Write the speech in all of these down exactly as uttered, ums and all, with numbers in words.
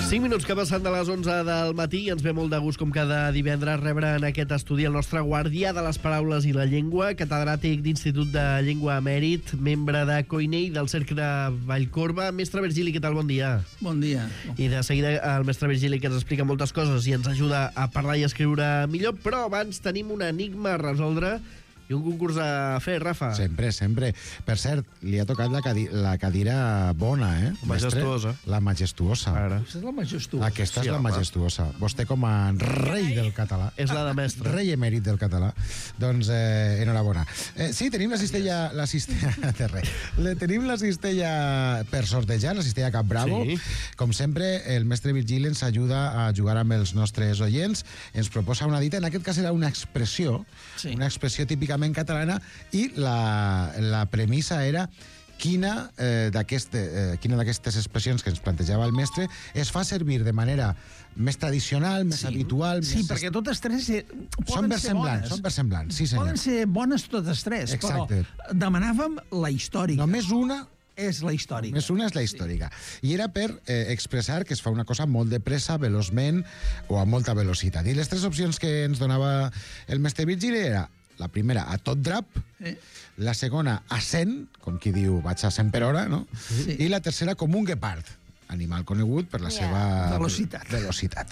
cinc minuts que passen de les onze del matí i ens ve molt de gust, com cada divendres, rebre en aquest estudi el nostre guardià de les paraules i la llengua, catedràtic d'Institut de Llengua Emèrit, membre de COINEI del Cercle Vallcorba. Mestre Virgili, què tal? Bon dia. Bon dia. I de seguida el mestre Virgili, que ens explica moltes coses i ens ajuda a parlar i a escriure millor, però abans tenim un enigma a resoldre i un concurs a fer, Rafa. Sempre, sempre. Per cert, li ha tocat la, cadi la cadira bona, eh? Majestuosa. Mestre? La majestuosa. Ara. Aquesta és la majestuosa. Aquesta Sí, és la home. majestuosa. Vostè com a rei del català. És la de mestre. Rei emèrit del català. Doncs, eh, enhorabona. Eh, sí, tenim la cistella... La cistella de res. Le, tenim la cistella per sortejar, la cistella Cap Bravo. Sí. Com sempre, el mestre Virgili ens ajuda a jugar amb els nostres oients. Ens proposa una dita, en aquest cas era una expressió, Sí. una expressió típicament catalana, i la, la premissa era quina eh, d'aqueste, eh, quina d'aquestes expressions que ens plantejava el mestre es fa servir de manera més tradicional, més Sí. habitual... Sí, més perquè totes tres eh, són poden ser versemblants, bones. són versemblants, sí senyor. Poden ser bones totes tres, Exacte. però demanàvem la històrica. Només una És la històrica. Més una és la històrica. I era per eh, expressar que es fa una cosa molt de pressa, veloçment o a molta velocitat. I les tres opcions que ens donava el mestre Virgili era la primera, a tot drap, Eh? la segona, a cent, com qui diu vaig a cent per hora, no? Sí. I la tercera, com un guepard, animal conegut per la Ja. seva Velocitat. velocitat.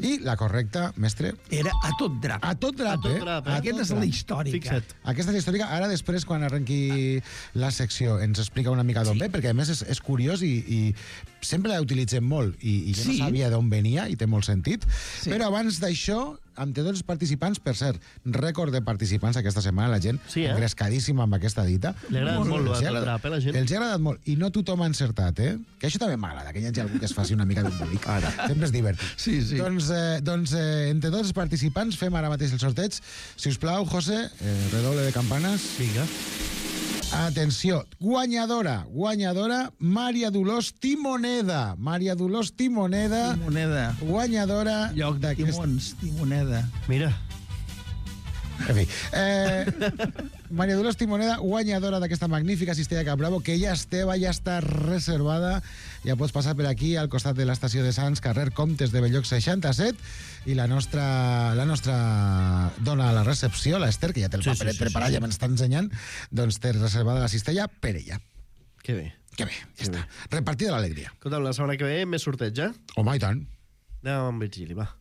I la correcta, mestre, Era a tot drap. a tot drap, A tot eh? drap, eh? A Aquesta tot és la drap. històrica. Fixa't. Aquesta és la històrica. Ara, després, quan arrenqui la secció, ens explica una mica d'on Sí. ve, perquè, a més, és, és curiós i, i sempre la utilitzem molt, i, i jo Sí. no sabia d'on venia, i té molt sentit. Sí. Però abans d'això, amb tots els participants, per cert, rècord de participants aquesta setmana, la gent Sí, eh? engrescadíssima amb aquesta dita. Li ha agradat molt, Els el ha agradat- drap, eh, la gent? Els ha agradat molt, i no tothom ha encertat, eh? Que això també m'agrada, que hi hagi algú que es faci una mica d'embolic. Sempre és divertit. Sí, sí. Doncs, eh, doncs eh, entre tots els participants fem ara mateix el sorteig. Si us plau, José, eh, redoble de campanes. Vinga. Atenció, guanyadora, guanyadora, Maria Dolors Timoneda. Maria Dolors Timoneda, Timoneda. guanyadora Lloc de d'aquest... timons, Timoneda. Mira. En fi, eh, Maria Dolors Timoneda, guanyadora d'aquesta magnífica cistella Cap Bravo, que ja és teva, ja està reservada. Ja pots passar per aquí, al costat de l'estació de Sants, carrer Comtes de Belloc seixanta-set, i la nostra, la nostra dona a la recepció, l'Ester, que ja té el Sí, paperet sí, sí, preparat, sí. ja m'està ensenyant, doncs té reservada la cistella per ella. Que bé. Que bé, ja està. Repartida l'alegria. Escolta'm, la setmana que ve més sorteig, eh? Home, i tant. Anem amb Virgili, va.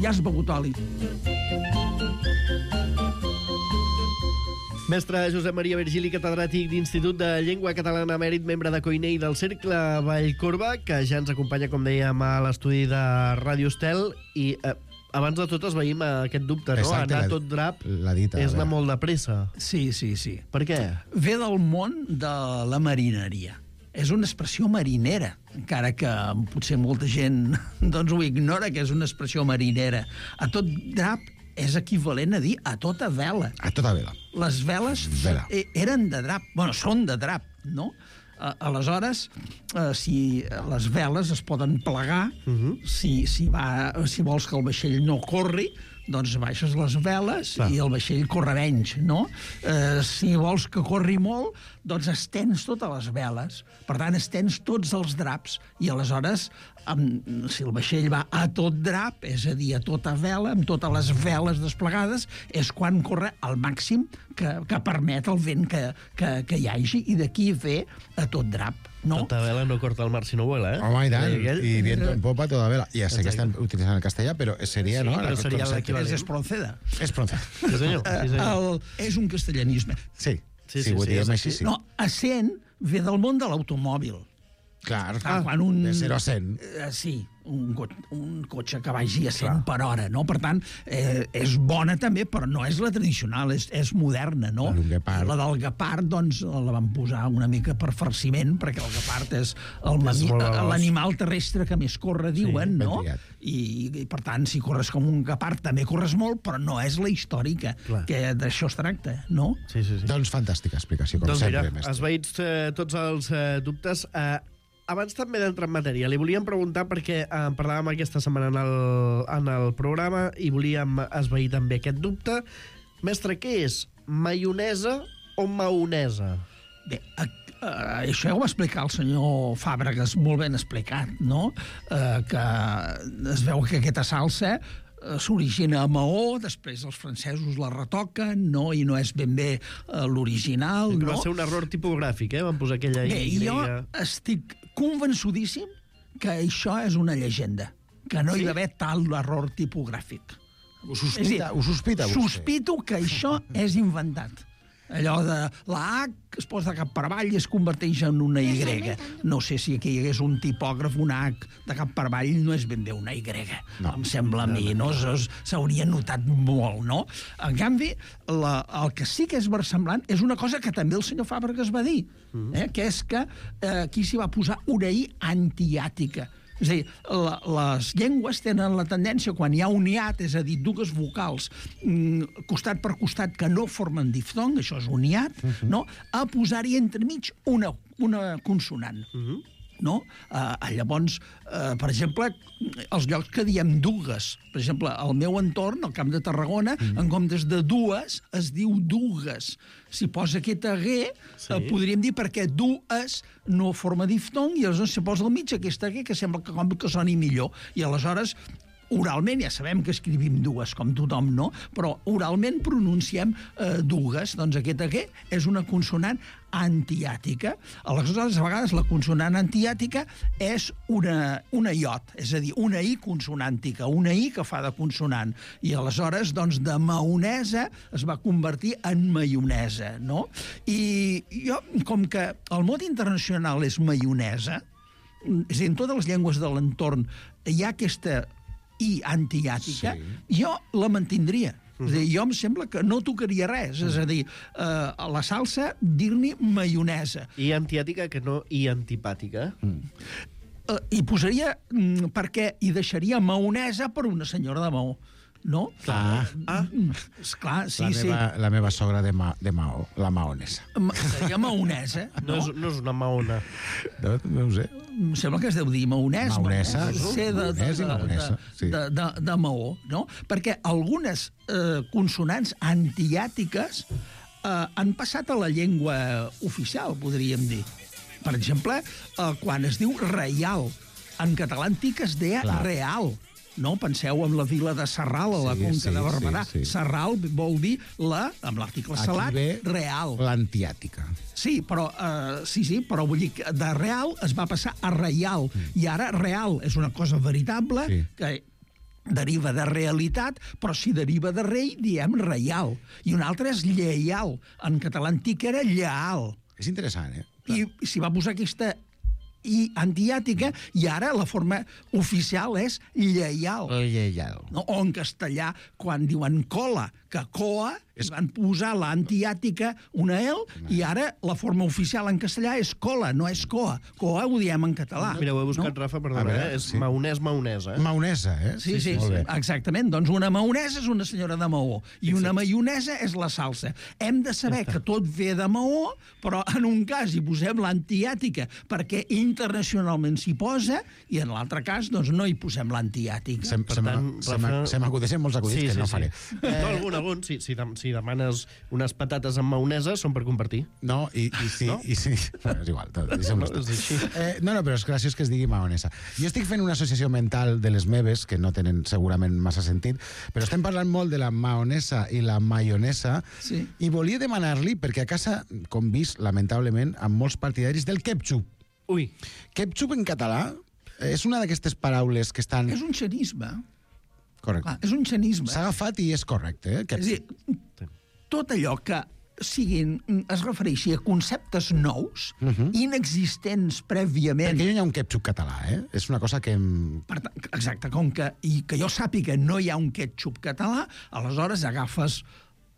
Ja has begut oli. Mestre Josep Maria Virgili, catedràtic d'Institut de Llengua Catalana Emèrit, membre de COINEI del Cercle Vallcorba, que ja ens acompanya, com dèiem, a l'estudi de Ràdio Estel. I eh, abans de tot es veïm aquest dubte, no? Exacte, Anar la- a tot drap la dita, és a anar veure. molt de pressa. Sí, sí, sí. Per què? Ve del món de la marineria. És una expressió marinera, encara que potser molta gent doncs, ho ignora, que és una expressió marinera. A tot drap és equivalent a dir a tota vela. A tota vela. Les veles Vela. e- eren de drap. Bueno, són de drap, no? A- Aleshores, eh, si les veles es poden plegar, uh -huh. si, si, va, si vols que el vaixell no corri, doncs baixes les veles Clar. i el vaixell corre menys, no? Eh, si vols que corri molt, doncs estens totes les veles. Per tant, estens tots els draps i aleshores, amb, si el vaixell va a tot drap, és a dir, a tota vela, amb totes les veles desplegades, és quan corre al màxim que, que permet el vent que, que, que hi hagi, i d'aquí ve a tot drap. No? Tota vela no corta el mar si no vuela, eh? Home, i tant. Deia aquell. I viento en popa, toda vela. Ja sé que Exacte. estem utilitzant el castellà, però seria, Sí, no? però Aquest seria concepte. l'equivalent. És espronceda. És pronunciat. Sí, senyor. Sí, senyor. El, és un castellanisme. Sí, Sí, sí, sí, sí, ho sí, diem és així, així. sí. No, a cent ve del món de l'automòbil. Clar, Ah, quan un... de zero a cent. Eh, sí, un, co un cotxe que vagi a cent per hora, no? Per tant, eh, és bona també, però no és la tradicional, és, és moderna, no? Un guepard. I la del guepard, doncs, la van posar una mica per farciment, perquè el guepard és el És mami- molt veloç. l'animal terrestre que més corre, diuen, ben no? triat. I, I, per tant, si corres com un guepard, també corres molt, però no és la històrica, Clar. que d'això es tracta, no? Sí, sí, sí. Doncs fantàstica explicació, com Doncs sempre, mira, mestre. esvaïts eh, tots els eh, dubtes. Eh, abans també d'entrar en matèria, li volíem preguntar, perquè eh, parlàvem aquesta setmana en el, en el programa i volíem esvair també aquest dubte. Mestre, què és maionesa o maonesa? Bé, a, a, això ja ho va explicar el senyor Fàbregas, molt ben explicat, no? Eh, que es veu que aquesta salsa eh, s'origina a Maó, després els francesos la retoquen, no? I no és ben bé eh, l'original, Que no? va ser un error tipogràfic, eh? Van posar aquella Bé, Y. jo estic convençudíssim que això és una llegenda, que no hi va haver tal error tipogràfic. Ho sospita, ho sospita vostè? Sospito que això és inventat. Allò de la H es posa cap per avall i es converteix en una Y. No sé si aquí hi hagués un tipògraf, una H de cap per avall no és ben bé una Y. No. Em sembla a mi, no? S'hauria notat molt, no? En canvi, la, el que sí que és versemblant és una cosa que també el senyor Fàbregas va dir, eh? Que és que eh, aquí s'hi va posar una I antiàtica. És a dir, la, les llengües tenen la tendència, quan hi ha un hiat, és a dir, dues vocals mm, costat per costat que no formen diftong, això és un hiat, uh -huh. no? A posar-hi entremig una, una consonant. Uh -huh. No? Uh, llavors, uh, per exemple, els llocs que diem dugues, per exemple, al meu entorn, al Camp de Tarragona, mm. en comptes de dues, es diu dugues. Si posa aquesta G, sí. uh, podríem dir perquè dues no forma diftong, i aleshores si posa al mig aquesta G, que sembla que, com que soni millor. I aleshores, oralment, ja sabem que escrivim dues, com tothom, no? Però oralment pronunciem eh, dugues. Doncs aquesta G és una consonant antiàtica. Aleshores, a vegades la consonant antiàtica és una, una iot, és a dir, una I consonàntica, una I que fa de consonant. I aleshores, doncs, de maonesa es va convertir en maionesa, no? I jo, com que el mot internacional és maionesa, és a dir, en totes les llengües de l'entorn hi ha aquesta I antiàtica, sí. jo la mantindria. Uh-huh. És a dir, jo em sembla que no tocaria res. Uh-huh. És a dir, eh, a la salsa dir-n'hi maionesa. I antiàtica que no i antipàtica. Mm. Eh, I posaria, mm, perquè hi deixaria maonesa per una senyora de Maó. No? Ah. Ah. Esclar, sí, la sí. Meva, la meva sogra de, ma, de Maó, la maonesa. Ma, seria maonesa, No, no? és, no és una maona. No, no ho sé. Em sembla que es deu dir maonès. Maonesa, no? Ser de, de, maonès i de, maonesa, de, sí. de, de, de Maó, no? Perquè algunes eh, consonants antiàtiques eh, han passat a la llengua oficial, podríem dir. Per exemple, eh, quan es diu reial, en català antic es deia Clar. real. No? Penseu en la vila de Sarral, a la Sí, Conca sí, de Barberà. sí, sí. Sarral vol dir la, amb l'article Aquí salat, ve real. l'antiàtica. Sí, però, uh, sí, sí, però vull dir que de real es va passar a reial. Mm. I ara real és una cosa veritable, Sí. que deriva de realitat, però si deriva de rei, diem reial. I un altre és lleial. En català antic era lleal. És interessant, eh? I s'hi va posar aquesta I antiàtica, i ara la forma oficial és lleial. Lleial. No? O en castellà, quan diuen cola, que coa, es van posar l'antiàtica una L, i ara la forma oficial en castellà és cola, no és coa. Coa ho diem en català. Mira, ho he buscat, no? Rafa, A perdona, veure, eh? És sí. maonès, maonesa. Eh? Maonesa, eh? Sí, sí, molt sí, bé. exactament. Doncs una maonesa és una senyora de Maó, i una maionesa és la salsa. Hem de saber que tot ve de Maó, però en un cas hi posem l'antiàtica perquè internacionalment s'hi posa, i en l'altre cas doncs, no hi posem l'antiàtica. Se, Per se, tant, se, Rafa- se m'acudeixen molts acudits que no faré. Eh... No, algun, algun. Si, si, dem- si demanes unes patates amb maonesa, són per compartir. No, i, i sí, No? i sí. Bueno, és igual, tot, deixem-ho No, és així. eh, no, no, però és graciós que es digui maonesa. Jo estic fent una associació mental de les meves, que no tenen segurament massa sentit, però estem parlant molt de la maonesa i la maionesa, Sí. i volia demanar-li, perquè a casa convís, lamentablement, amb molts partidaris del ketchup. Ui, Ketchup en català és una d'aquestes paraules que estan... És un xenisme. Correcte. Clar, és un xenisme. S'ha agafat i és correcte, eh? És a Ketchup. dir, tot allò que siguin, es refereixi a conceptes nous, uh -huh. inexistents prèviament. Perquè no hi ha un ketchup català, eh? És una cosa que... em- Per tant, exacte, com que, i que jo sàpiga no hi ha un ketchup català, aleshores agafes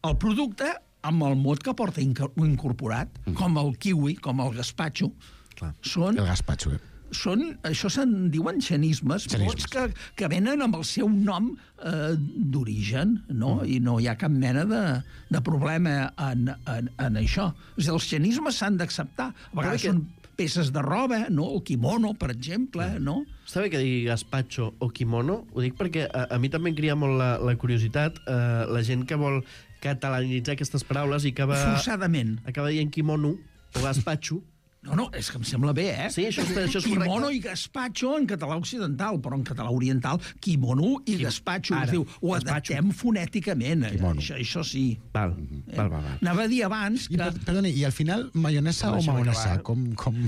el producte amb el mot que porta inco- incorporat, uh -huh. com el kiwi, com el gazpacho. Clar. Són El gazpacho, eh? són, això se'n diuen xenismes, Xenismes. mots que, que venen amb el seu nom eh, d'origen, no? Mm. I no hi ha cap mena de, de problema en, en, en això. És a dir, els xenismes s'han d'acceptar. A vegades que- són peces de roba, no? El kimono, per exemple, no? Està bé que digui gazpacho o kimono, ho dic perquè a, a mi també em cria molt la, la curiositat, eh, la gent que vol catalanitzar aquestes paraules i acaba, Forçadament. acaba dient kimono o gazpacho. No, no, és que em sembla bé, eh? Sí, això, està, això és correcte. Kimono i gazpacho en català occidental, però en català oriental, kimono i Kim... gazpacho. Ara, Diu, ho gazpacho. adaptem fonèticament. Kimono. Això, això sí. Val, val, val, val. Anava a dir abans I, que... per, perdoni, i al final, maionesa o Deixa'm maonesa? acabar. Com, com,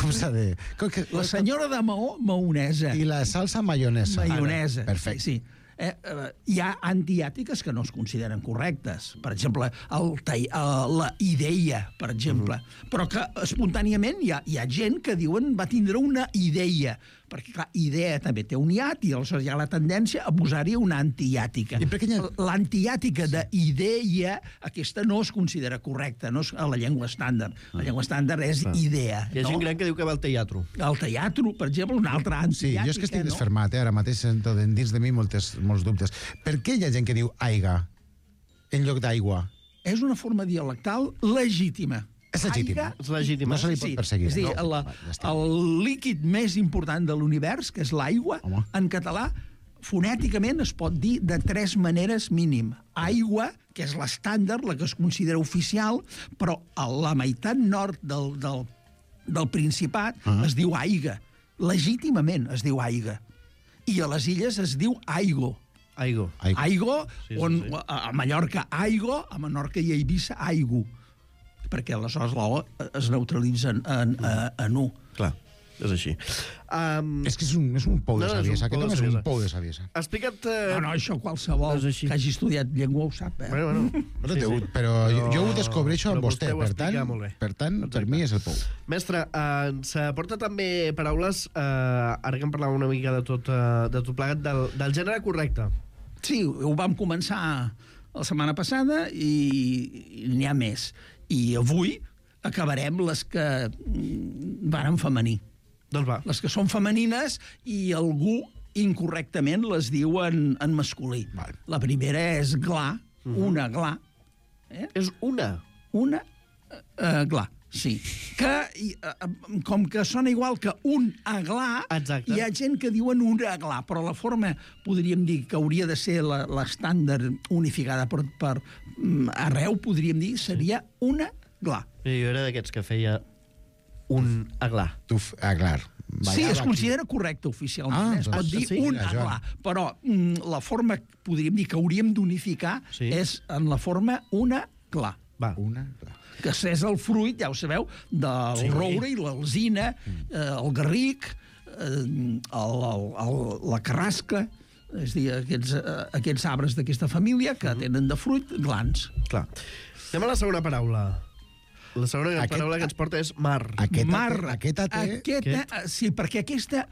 com s'ha de... Com que, La senyora de Maó, maonesa. I la salsa maionesa. Maionesa. Perfecte. Sí, sí. Eh, eh, hi ha antiàtiques que no es consideren correctes. Per exemple, el, tai- eh, la idea, per exemple. Uh -huh. Però que espontàniament hi ha, hi ha gent que diuen va tindre una idea. Perquè, clar, idea també té un iat i aleshores hi ha la tendència a posar-hi una antiàtica. I per què hi ha- L'antiàtica d'idea, aquesta no es considera correcta, no és a la llengua estàndard. La llengua estàndard és idea. Hi ha gent no? gran que diu que va al teatre. El teatre, per exemple, una altra Sí, antiàtica. jo és que estic no? desfermat, eh? Ara mateix sento dins de mi moltes, molts dubtes. Per què hi ha gent que diu aiga en lloc d'aigua? És una forma dialectal legítima. És legítima. Aiga- És legítima. No se li pot perseguir. És a dir, no? la, Va, ja està. el líquid més important de l'univers, que és l'aigua, Home. en català, fonèticament es pot dir de tres maneres mínim. Aigua, que és l'estàndard, la que es considera oficial, però a la meitat nord del, del, del Principat uh -huh. es diu aiga. Legítimament es diu aiga. I a les illes es diu aigo. Aigo. Aigo. Aigo, Sí, sí, on sí. a Mallorca aigo, a Menorca i a Eivissa aigo. Perquè aleshores la O es neutralitza en, en, en, en U. Clar, és així. Um, És que és un, és un pou de No, no, és un saviesa. Aquest pou de home és saviesa. un pou de saviesa. explica't... Eh... No, no, això qualsevol És així. que hagi estudiat llengua ho sap, eh? Bueno, bueno. No té ut, però jo, jo ho descobreixo amb però vostè. ho Per explica tant, molt bé. per tant, per mi és el pou. Mestre, eh, ens aporta també paraules, eh, ara que em parlàvem una mica de tot, eh, de tot plegat, del, del gènere correcte. Sí, ho vam començar la setmana passada i, i n'hi ha més. I avui acabarem les que mm, van en femení. Doncs va. Les que són femenines i algú incorrectament les diu en, en masculí. Val. La primera és gla, Uh -huh. una gla. Eh? És una. Una uh, gla, sí. Que, i, uh, com que sona igual que un aglà, Exacte. hi ha gent que diuen un aglà, però la forma, podríem dir, que hauria de ser la- l'estàndard unificada per, per mm, arreu, podríem dir, seria una glà. I jo era d'aquests que feia un aglà. Tu, f- ah, clar. Sí, Ballava es aquí. considera correcte oficialment. Ah, eh? Es pot doncs dir sí, un mira, Joan. aglà, però mm, la forma, podríem dir, que hauríem d'unificar Sí. és en la forma una glà. Va. Una, clar. Que és el fruit, ja ho sabeu, del Sí. sí. roure i l'alzina, eh, el garric, eh, el, el, el, la carrasca, és a dir, aquests, eh, aquests arbres d'aquesta família que tenen de fruit glans. Clar. Anem a la segona paraula. La segona Aquest- paraula que ens porta és mar. Aquesta, Mar. aquesta té... Aquesta, eh, sí, perquè aquesta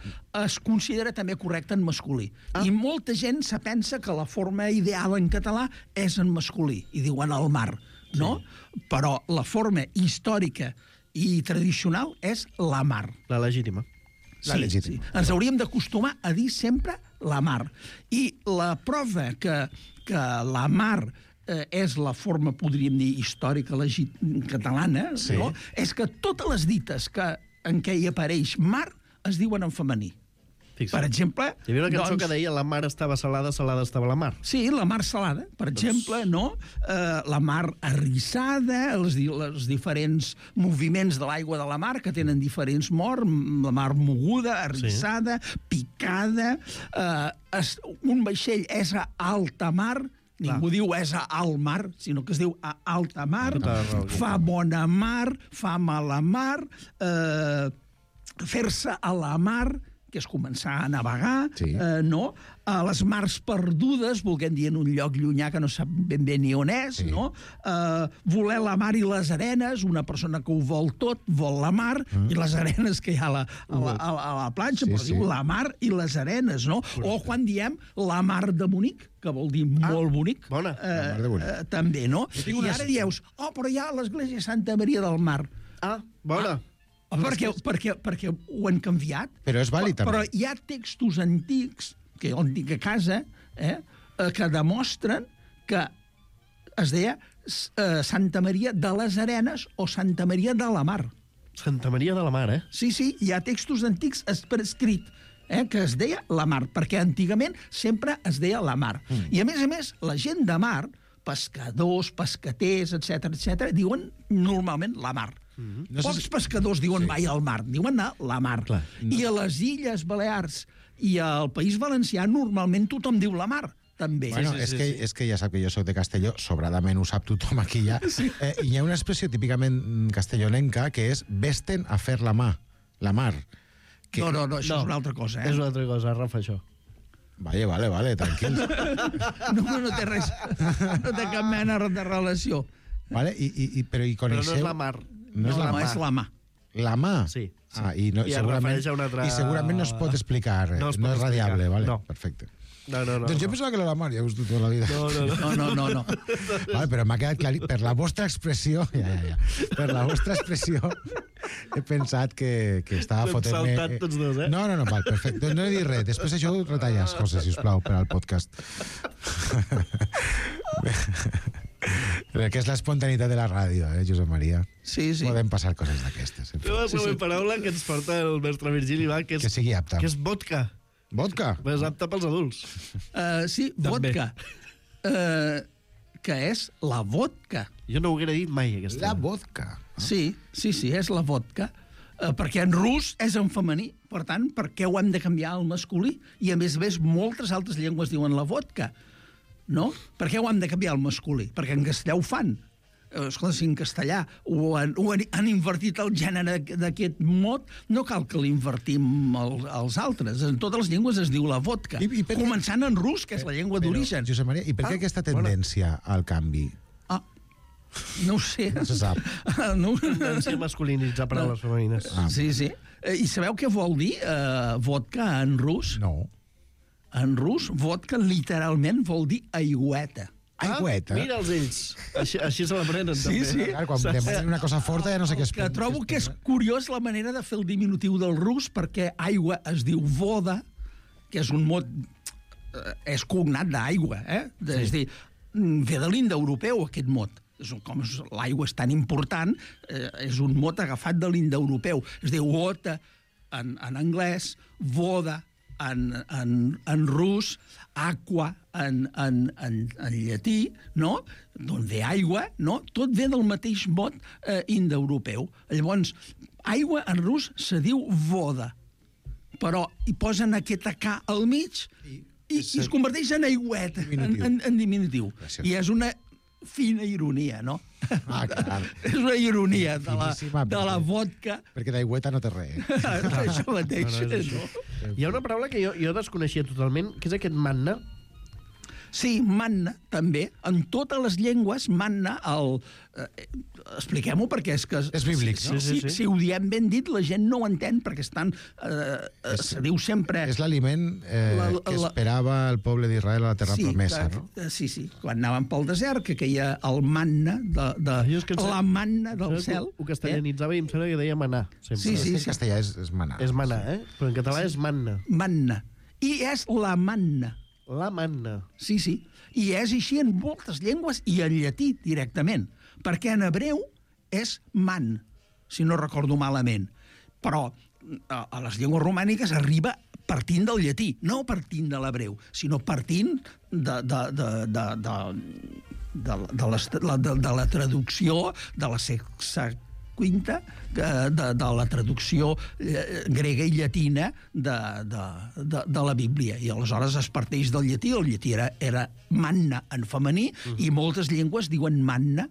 es considera també correcta en masculí. Ah. I molta gent se pensa que la forma ideal en català és en masculí, i diuen el mar, no? Sí. Però la forma històrica i tradicional és la mar. La legítima. La legítima. Ens hauríem d'acostumar a dir sempre la mar. I la prova que, que la mar eh, és la forma, podríem dir, històrica legit catalana, Sí. no? És que totes les dites que, en què hi apareix mar es diuen en femení. Fixa't. Per exemple... Hi havia una cançó doncs, que deia la mar estava salada, salada estava la mar. Sí, la mar salada, per exemple, no? Eh, la mar arrissada, els, di els diferents moviments de l'aigua de la mar, que tenen diferents morts, la mar moguda, arrissada, sí. picada... Eh, es, un vaixell és a alta mar, ningú diu és a alt mar, sinó que es diu a alta mar, Tota raó. fa bona mar, fa mala mar, eh, fer-se a la mar, que és començar a navegar, Sí. eh, no? A les mars perdudes, volguem dir en un lloc llunyà que no sap ben bé ni on és, Sí. no? Eh, voler la mar i les arenes, una persona que ho vol tot, vol la mar, mm. i les arenes que hi ha a la, a la, a la, a la platja, Sí, però sí. diu la mar i les arenes, no? O quan diem la mar de bonic, que vol dir Ah, molt bonic, bona. eh, La mar de bonic. eh, també, no? tinc I una- ara dius, oh, però hi ha l'església Santa Maria del Mar. Ah, bona. Ah, perquè, perquè, perquè ho han canviat. Però és vàlid, Però també. hi ha textos antics, que jo en dic a casa, eh, eh, que demostren que es deia eh, Santa Maria de les Arenes o Santa Maria de la Mar. Santa Maria de la Mar, eh? Sí, sí, hi ha textos antics es- per escrit, eh, que es deia la mar, perquè antigament sempre es deia la mar. Mm. I, a més a més, la gent de mar, pescadors, pescaters, etc etc, diuen normalment la mar. Mm-hmm. No sé Pocs si- pescadors diuen Sí. mai al mar, diuen a la mar. Clar. I a les Illes Balears i al País Valencià normalment tothom diu la mar, també. Bueno, sí, és, sí, que, sí. és que ja sap que jo sóc de Castelló, sobradament ho sap tothom aquí ja. Sí. Eh, I hi ha una expressió típicament castellonenca que és vesten a fer la mà, la mar. Que... No, no, no, això No. és una altra cosa, eh? És una altra cosa, Rafa, això. Vale, vale, vale, tranquil. No, no té res, no té cap mena de relació. Vale, i, i, i, però i Però coneixeu... no és la mar. No és la No, mà. és la mà. La mà? Sí, sí. Ah, i, no, I es segurament, refereix a una altra- I segurament no es pot explicar, No no, es no pot és radiable, explicar, vale, no. perfecte. No, no, no. doncs jo no. pensava que era la mar, ja ho he tota la vida. No, no, no. No, no, no, no. Vale, però m'ha quedat clar, per la vostra expressió, ja, ja, ja, per la vostra expressió, he pensat que, que estava T'hem fotent-me... saltat tots dos, eh? No, no, no, val, perfecte. Doncs no he dit res. Després això ho retalles, José, sisplau, per al podcast. Perquè és l'espontaneïtat de la ràdio, eh, Josep Maria? Sí, sí. Poden passar coses d'aquestes. en fi. La següent paraula que ens porta el mestre Virgili va, que és, Que sigui apta. que és vodka. Vodka? És apta pels adults. Uh, sí, També. vodka. Uh, que és la vodka. Jo no ho haguera dit mai, aquesta. La vodka. Sí, sí, sí, és la vodka. Uh, perquè en rus és en femení. Per tant, per què ho hem de canviar al masculí? I, a més a més, moltes altres llengües diuen la vodka. No? Per què ho hem de canviar al masculí? Perquè en castellà ho fan. Eh, Escolta, si en castellà ho han, ho han, han invertit el gènere d'aquest mot, no cal que l'invertim al, als altres. En totes les llengües es diu la vodka. I- i per què- Començant en rus, que és la llengua Però, d'origen. Josep Maria, i per què Ah, aquesta tendència al canvi? Ah, no ho sé. No se sap. No, Tendència a masculinitzar paraules femenines. Ah. Sí, sí. Eh, I sabeu què vol dir eh, vodka en rus? No. En rus, vodka literalment vol dir aigüeta. Aigüeta. Ah, mira'ls ells. Així, així se l'aprenen, Sí, també. sí. Clar, quan demanen una cosa forta ja no sé què es Que trobo que és curiós la manera de fer el diminutiu del rus, perquè aigua es diu voda, que és un mot... eh, és cognat d'aigua, eh? De, sí. És a dir, mm, ve de l'indoeuropeu, aquest mot. És un- Com és- l'aigua és tan important, eh, és un mot agafat de l'indoeuropeu. Es diu water en, en anglès, voda en, en, en rus, aqua en, en, en, en llatí, no? D'on ve aigua, no? Tot ve del mateix mot eh, indoeuropeu. Llavors, aigua en rus se diu voda, però hi posen aquesta K al mig i, i, i es converteix en aigüeta, en, Diminutiu. en, en diminutiu. Gràcies. I és una fina ironia, no? Ah, clar. És una ironia de la, Finíssima, de la perquè- vodka. Perquè d'aigüeta no té res. Això mateix, No, no, és no? Hi ha una paraula que jo, jo desconeixia totalment, que és aquest manna. Sí, manna, també. En totes les llengües, manna, el... Eh, expliquem-ho, perquè és que... És bíblic, si, no? Si, Sí, sí, sí. si ho diem ben dit, la gent no ho entén, perquè estan... Eh, eh, se diu sempre... És l'aliment eh, La- la- que la- esperava el poble d'Israel a la terra sí, promesa, que, no? eh, sí, sí. Quan anaven pel desert, que queia el manna, de, de, Jo és que em la sembla- manna del Saps que cel. Ho, ho castellanitzava i em sembla que deia manar. Sempre. Sí, sí. És que en castellà és, és manar. És manar, eh? Però en català és manna. Eh? Manna. I és la manna. La manna. Sí, sí. I és així en moltes llengües i en llatí directament, perquè en hebreu és man, si no recordo malament. Però a, a les llengües romàniques arriba partint del llatí, no partint de l'hebreu, sinó partint de, de, de, de, de, de, de, les, la, de, de la traducció de la sexa quinta, de, de, de la traducció eh, grega i llatina de, de, de, de la Bíblia. I aleshores es parteix del llatí, el llatí era, era manna en femení, mm. i moltes llengües diuen manna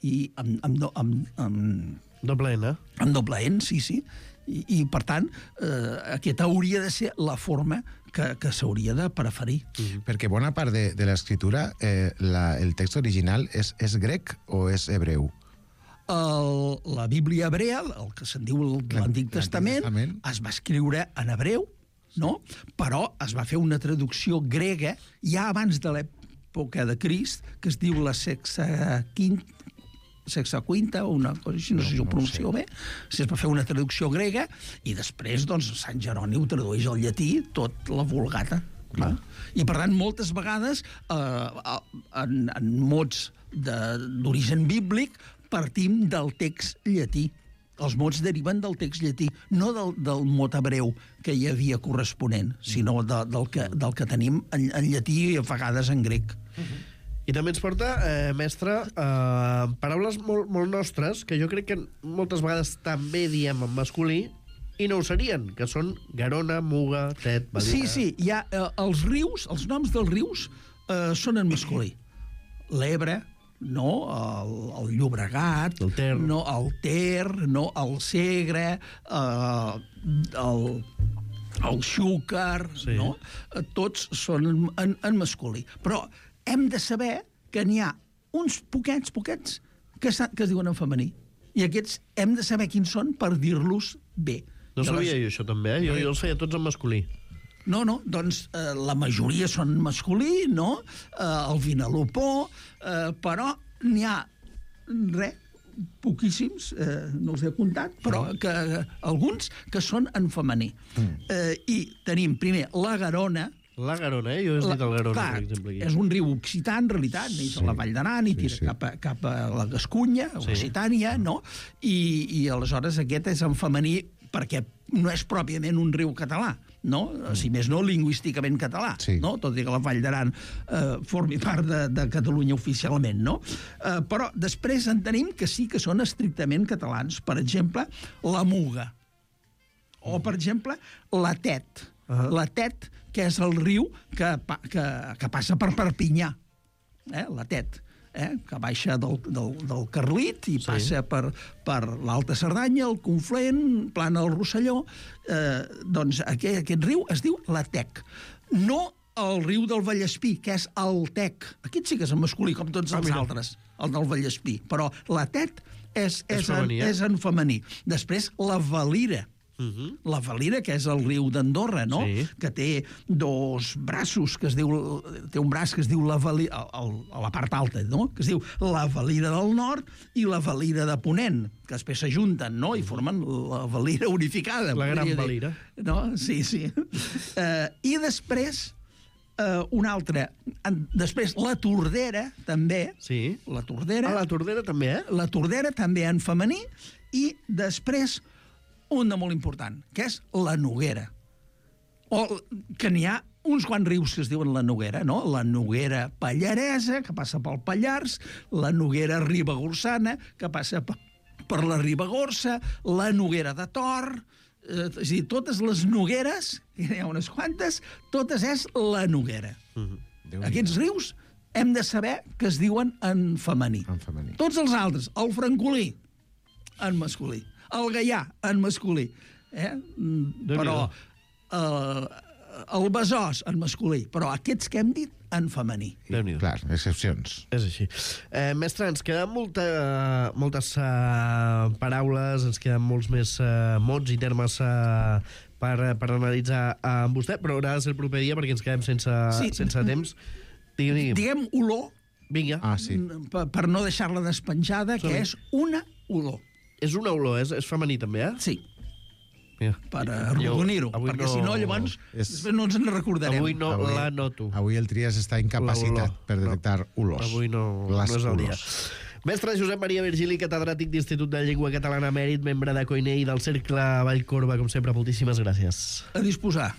i amb, amb, do- amb, amb, Doble N. amb doble N, sí, sí. I, i per tant, eh, aquesta hauria de ser la forma que, que s'hauria de preferir. Mm. Perquè bona part de, de l'escriptura, eh, la, el text original és, és grec o és hebreu? El, la Bíblia hebrea, el que se'n diu el- l'Antic Testament, Testament. es va escriure en hebreu, no? Però es va fer una traducció grega ja abans de l'època de Crist, que es diu la Sexaquinta, Sexaquinta o una cosa així, no, No, sé si ho no ho pronuncio bé. Es va fer una traducció grega i després, doncs, Sant Jeroni ho tradueix al llatí, tot la Vulgata. No? I, per tant, moltes vegades, eh, en, en mots de- d'origen bíblic, partim del text llatí. Els mots deriven del text llatí, no del, del mot hebreu que hi havia corresponent, sinó de, del, que, del que tenim en, en llatí i a vegades en grec. Uh-huh. I també ens porta, eh, mestre, eh, paraules molt, molt nostres, que jo crec que moltes vegades també diem en masculí, i no ho serien, que són Garona, Muga, Tet, Badira... Sí, sí, hi ha, eh, els rius, els noms dels rius eh, són en masculí. L'Ebre, no, el, el Llobregat, el Ter, no, el Ter, no, el Segre, eh, el, el Xúquer, sí. No? Tots són en, en, en masculí. Però hem de saber que n'hi ha uns poquets, poquets, que, que es diuen en femení. I aquests hem de saber quins són per dir-los bé. No sabia jo això també, eh? Jo, jo els feia tots en masculí. No, no, doncs eh, la majoria són masculí, no? Eh, el Vinalopó, eh, però n'hi ha, res, poquíssims, eh, no els he comptat, però que, eh, alguns que són en femení. Mm. Eh, I tenim primer la Garona. La Garona, eh? Jo he dit el Garona, clar, per exemple. Aquí. És un riu occità, en realitat, neix sí. a la Vall d'Aran i tira sí, sí. Cap, a, cap a la Gascunya, sí. Occitània, no? I, I aleshores aquest és en femení perquè no és pròpiament un riu català, no? Si més no, lingüísticament català, sí. No? Tot i que la Vall d'Aran eh, formi part de, de Catalunya oficialment, no? Eh, però després en tenim que sí que són estrictament catalans. Per exemple, la Muga. O, per exemple, la Tet. Uh-huh. La Tet, que és el riu que, que, que passa per Perpinyà. Eh? La Tet. Eh, que baixa del, del, del Carlit i sí. Passa per, per l'Alta Cerdanya, el Conflent, plana el Rosselló. Eh, doncs aquest, aquest riu es diu la Tec. No el riu del Vallespí, que és el Tec. Aquest sí que és en masculí, com tots els ah, altres, el del Vallespí. Però la Tet és, és, és, femení, en, eh? és en femení. Després, la Valira. Uh-huh. La Valira, que és el riu d'Andorra, no? Sí. Que té dos braços, que es diu, té un braç que es diu la Valira, a, a la part alta, no? Que es diu la Valira del Nord i la Valira de Ponent, que després s'ajunten, no? I formen la Valira unificada. La gran Valira. No? Sí, sí. uh, I després, uh, una altra... Després, la Tordera, també. Sí. La Tordera. Ah, la Tordera també, eh? La Tordera també en femení. I després... un de molt important, que és la Noguera. O que n'hi ha uns quants rius que es diuen la Noguera, no? La Noguera Pallaresa, que passa pel Pallars, la Noguera Ribagorçana, que passa per la Ribagorça, la Noguera de Tor, eh, és a dir, totes les Nogueres, que n'hi ha unes quantes, totes és la Noguera. Mm-hmm. Aquests rius hem de saber que es diuen en femení. En femení. Tots els altres, el Francolí, en masculí. El Gaià, en masculí. Eh? Però eh, el Besòs, en masculí. Però aquests que hem dit, en femení. Clar, excepcions. És així. Eh, mestre, ens queden molta, moltes uh, paraules, ens queden molts més uh, mots i termes uh, per, per analitzar uh, amb vostè, però haurà de ser el proper dia perquè ens quedem sense, sí. sense temps. Digue'm, digue'm. Diguem olor, vinga. Ah, sí. per, per no deixar-la despenjada, Som. que és una olor. És una olor, és, és femení també, eh? Sí. Mira. Per arrodonir-ho, perquè no... si no, llavors, és... després no ens en recordarem. Avui no avui, la noto. Avui el Trias està incapacitat per detectar no. olors. Avui no, no és el dia. Mestre Josep Maria Virgili, catedràtic d'Institut de Llengua Catalana Mèrit, membre de Coinei del Cercle Vallcorba, com sempre, moltíssimes gràcies. A disposar.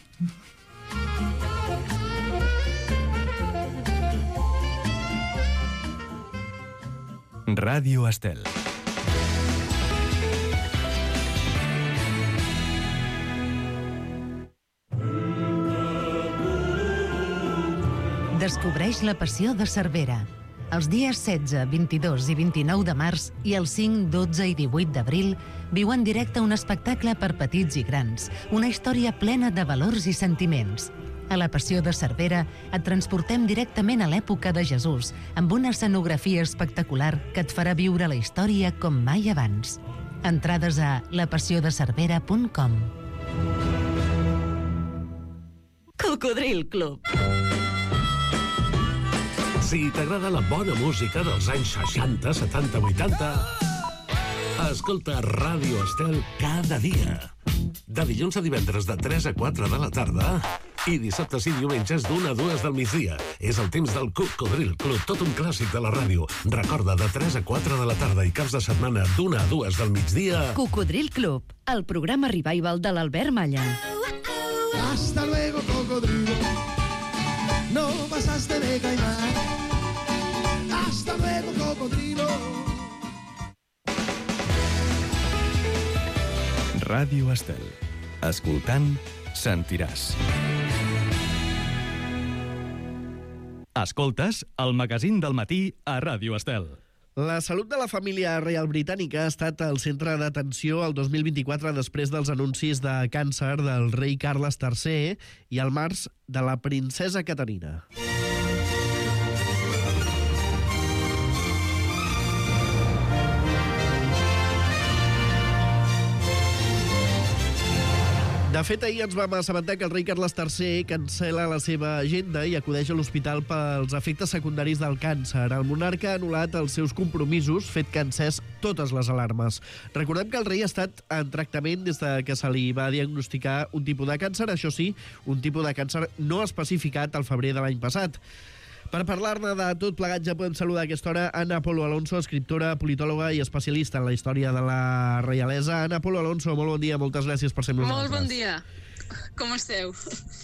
Ràdio Estel. Descobreix la passió de Cervera. Els dies setze, vint-i-dos i vint-i-nou de març i els cinc, dotze i divuit d'abril viu en directe un espectacle per petits i grans, una història plena de valors i sentiments. A la Passió de Cervera et transportem directament a l'època de Jesús, amb una escenografia espectacular que et farà viure la història com mai abans. Entrades a la passió de cervera punt com. Cocodril Club. Si t'agrada la bona música dels anys seixanta, setanta, vuitanta, escolta Ràdio Estel cada dia. De dilluns a divendres de tres a quatre de la tarda I dissabtes i diumenges d'una a dues del migdia. És el temps del Cocodril Club, tot un clàssic de la ràdio. Recorda, de tres a quatre de la tarda i caps de setmana d'una a dues del migdia... Cocodril Club, el programa revival de l'Albert Malla. Hasta luego, cocodrilo. No pasaste de caimán. Hasta luego, cocodrilo. Ràdio Estel. Escoltant, sentiràs. Escoltes el magazín del matí a Ràdio Estel. La salut de la família reial britànica ha estat al centre d'atenció el dos mil vint-i-quatre després dels anuncis de càncer del rei Carles tercer i al març de la princesa Caterina. De fet, ahir ens vam assabentar que el rei Carles tercer cancel·la la seva agenda i acudeix a l'hospital pels efectes secundaris del càncer. El monarca ha anul·lat els seus compromisos, fet que ha encès totes les alarmes. Recordem que el rei ha estat en tractament des de que se li va diagnosticar un tipus de càncer, això sí, un tipus de càncer no especificat al febrer de l'any passat. Per parlar-ne de tot plegat ja podem saludar a aquesta hora Ana Polo Alonso, escriptora, politòloga i especialista en la història de la reialesa. Ana Polo Alonso, molt bon dia, moltes gràcies per ser amb nosaltres. Molt bon dia. Com esteu?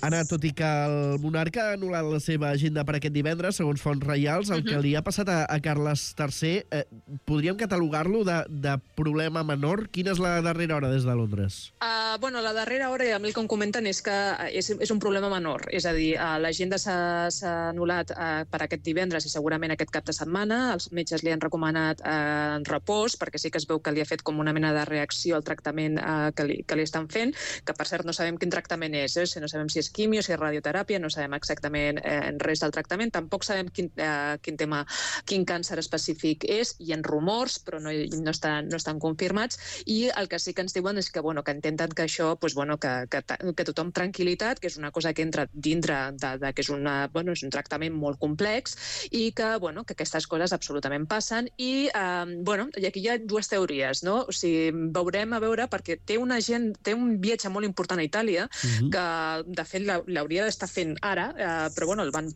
Anna, tot i que el monarca ha anul·lat la seva agenda per aquest divendres, segons fonts reials, el uh-huh. que li ha passat a, a Carles tercer, eh, podríem catalogar-lo de, de problema menor? Quina és la darrera hora des de Londres? Uh, bueno, la darrera hora, a mi el que em comenten és que és, és un problema menor. És a dir, uh, l'agenda s'ha anul·lat uh, per aquest divendres i segurament aquest cap de setmana. Els metges li han recomanat uh, en repòs, perquè sí que es veu que li ha fet com una mena de reacció al tractament uh, que, li, que li estan fent, que per cert no sabem quin tractament és, eh? No sabem si és quimio, si és radioteràpia, no sabem exactament eh, res del tractament, tampoc sabem quin, eh, quin tema, quin càncer específic és, hi ha rumors, però no, no, estan, no estan confirmats, i el que sí que ens diuen és que, bueno, que intenten que això, pues, bueno, que, que, que tothom tranquil·litat, que és una cosa que entra dintre de, de que és, una, bueno, és un tractament molt complex, i que, bueno, que aquestes coses absolutament passen, i, eh, bueno, i aquí hi ha dues teories, no? O sigui, veurem a veure, perquè té, una gent, té un viatge molt important a Itàlia, Uh-huh. que de fet l'hauria d'estar fent ara, eh, però bueno, el van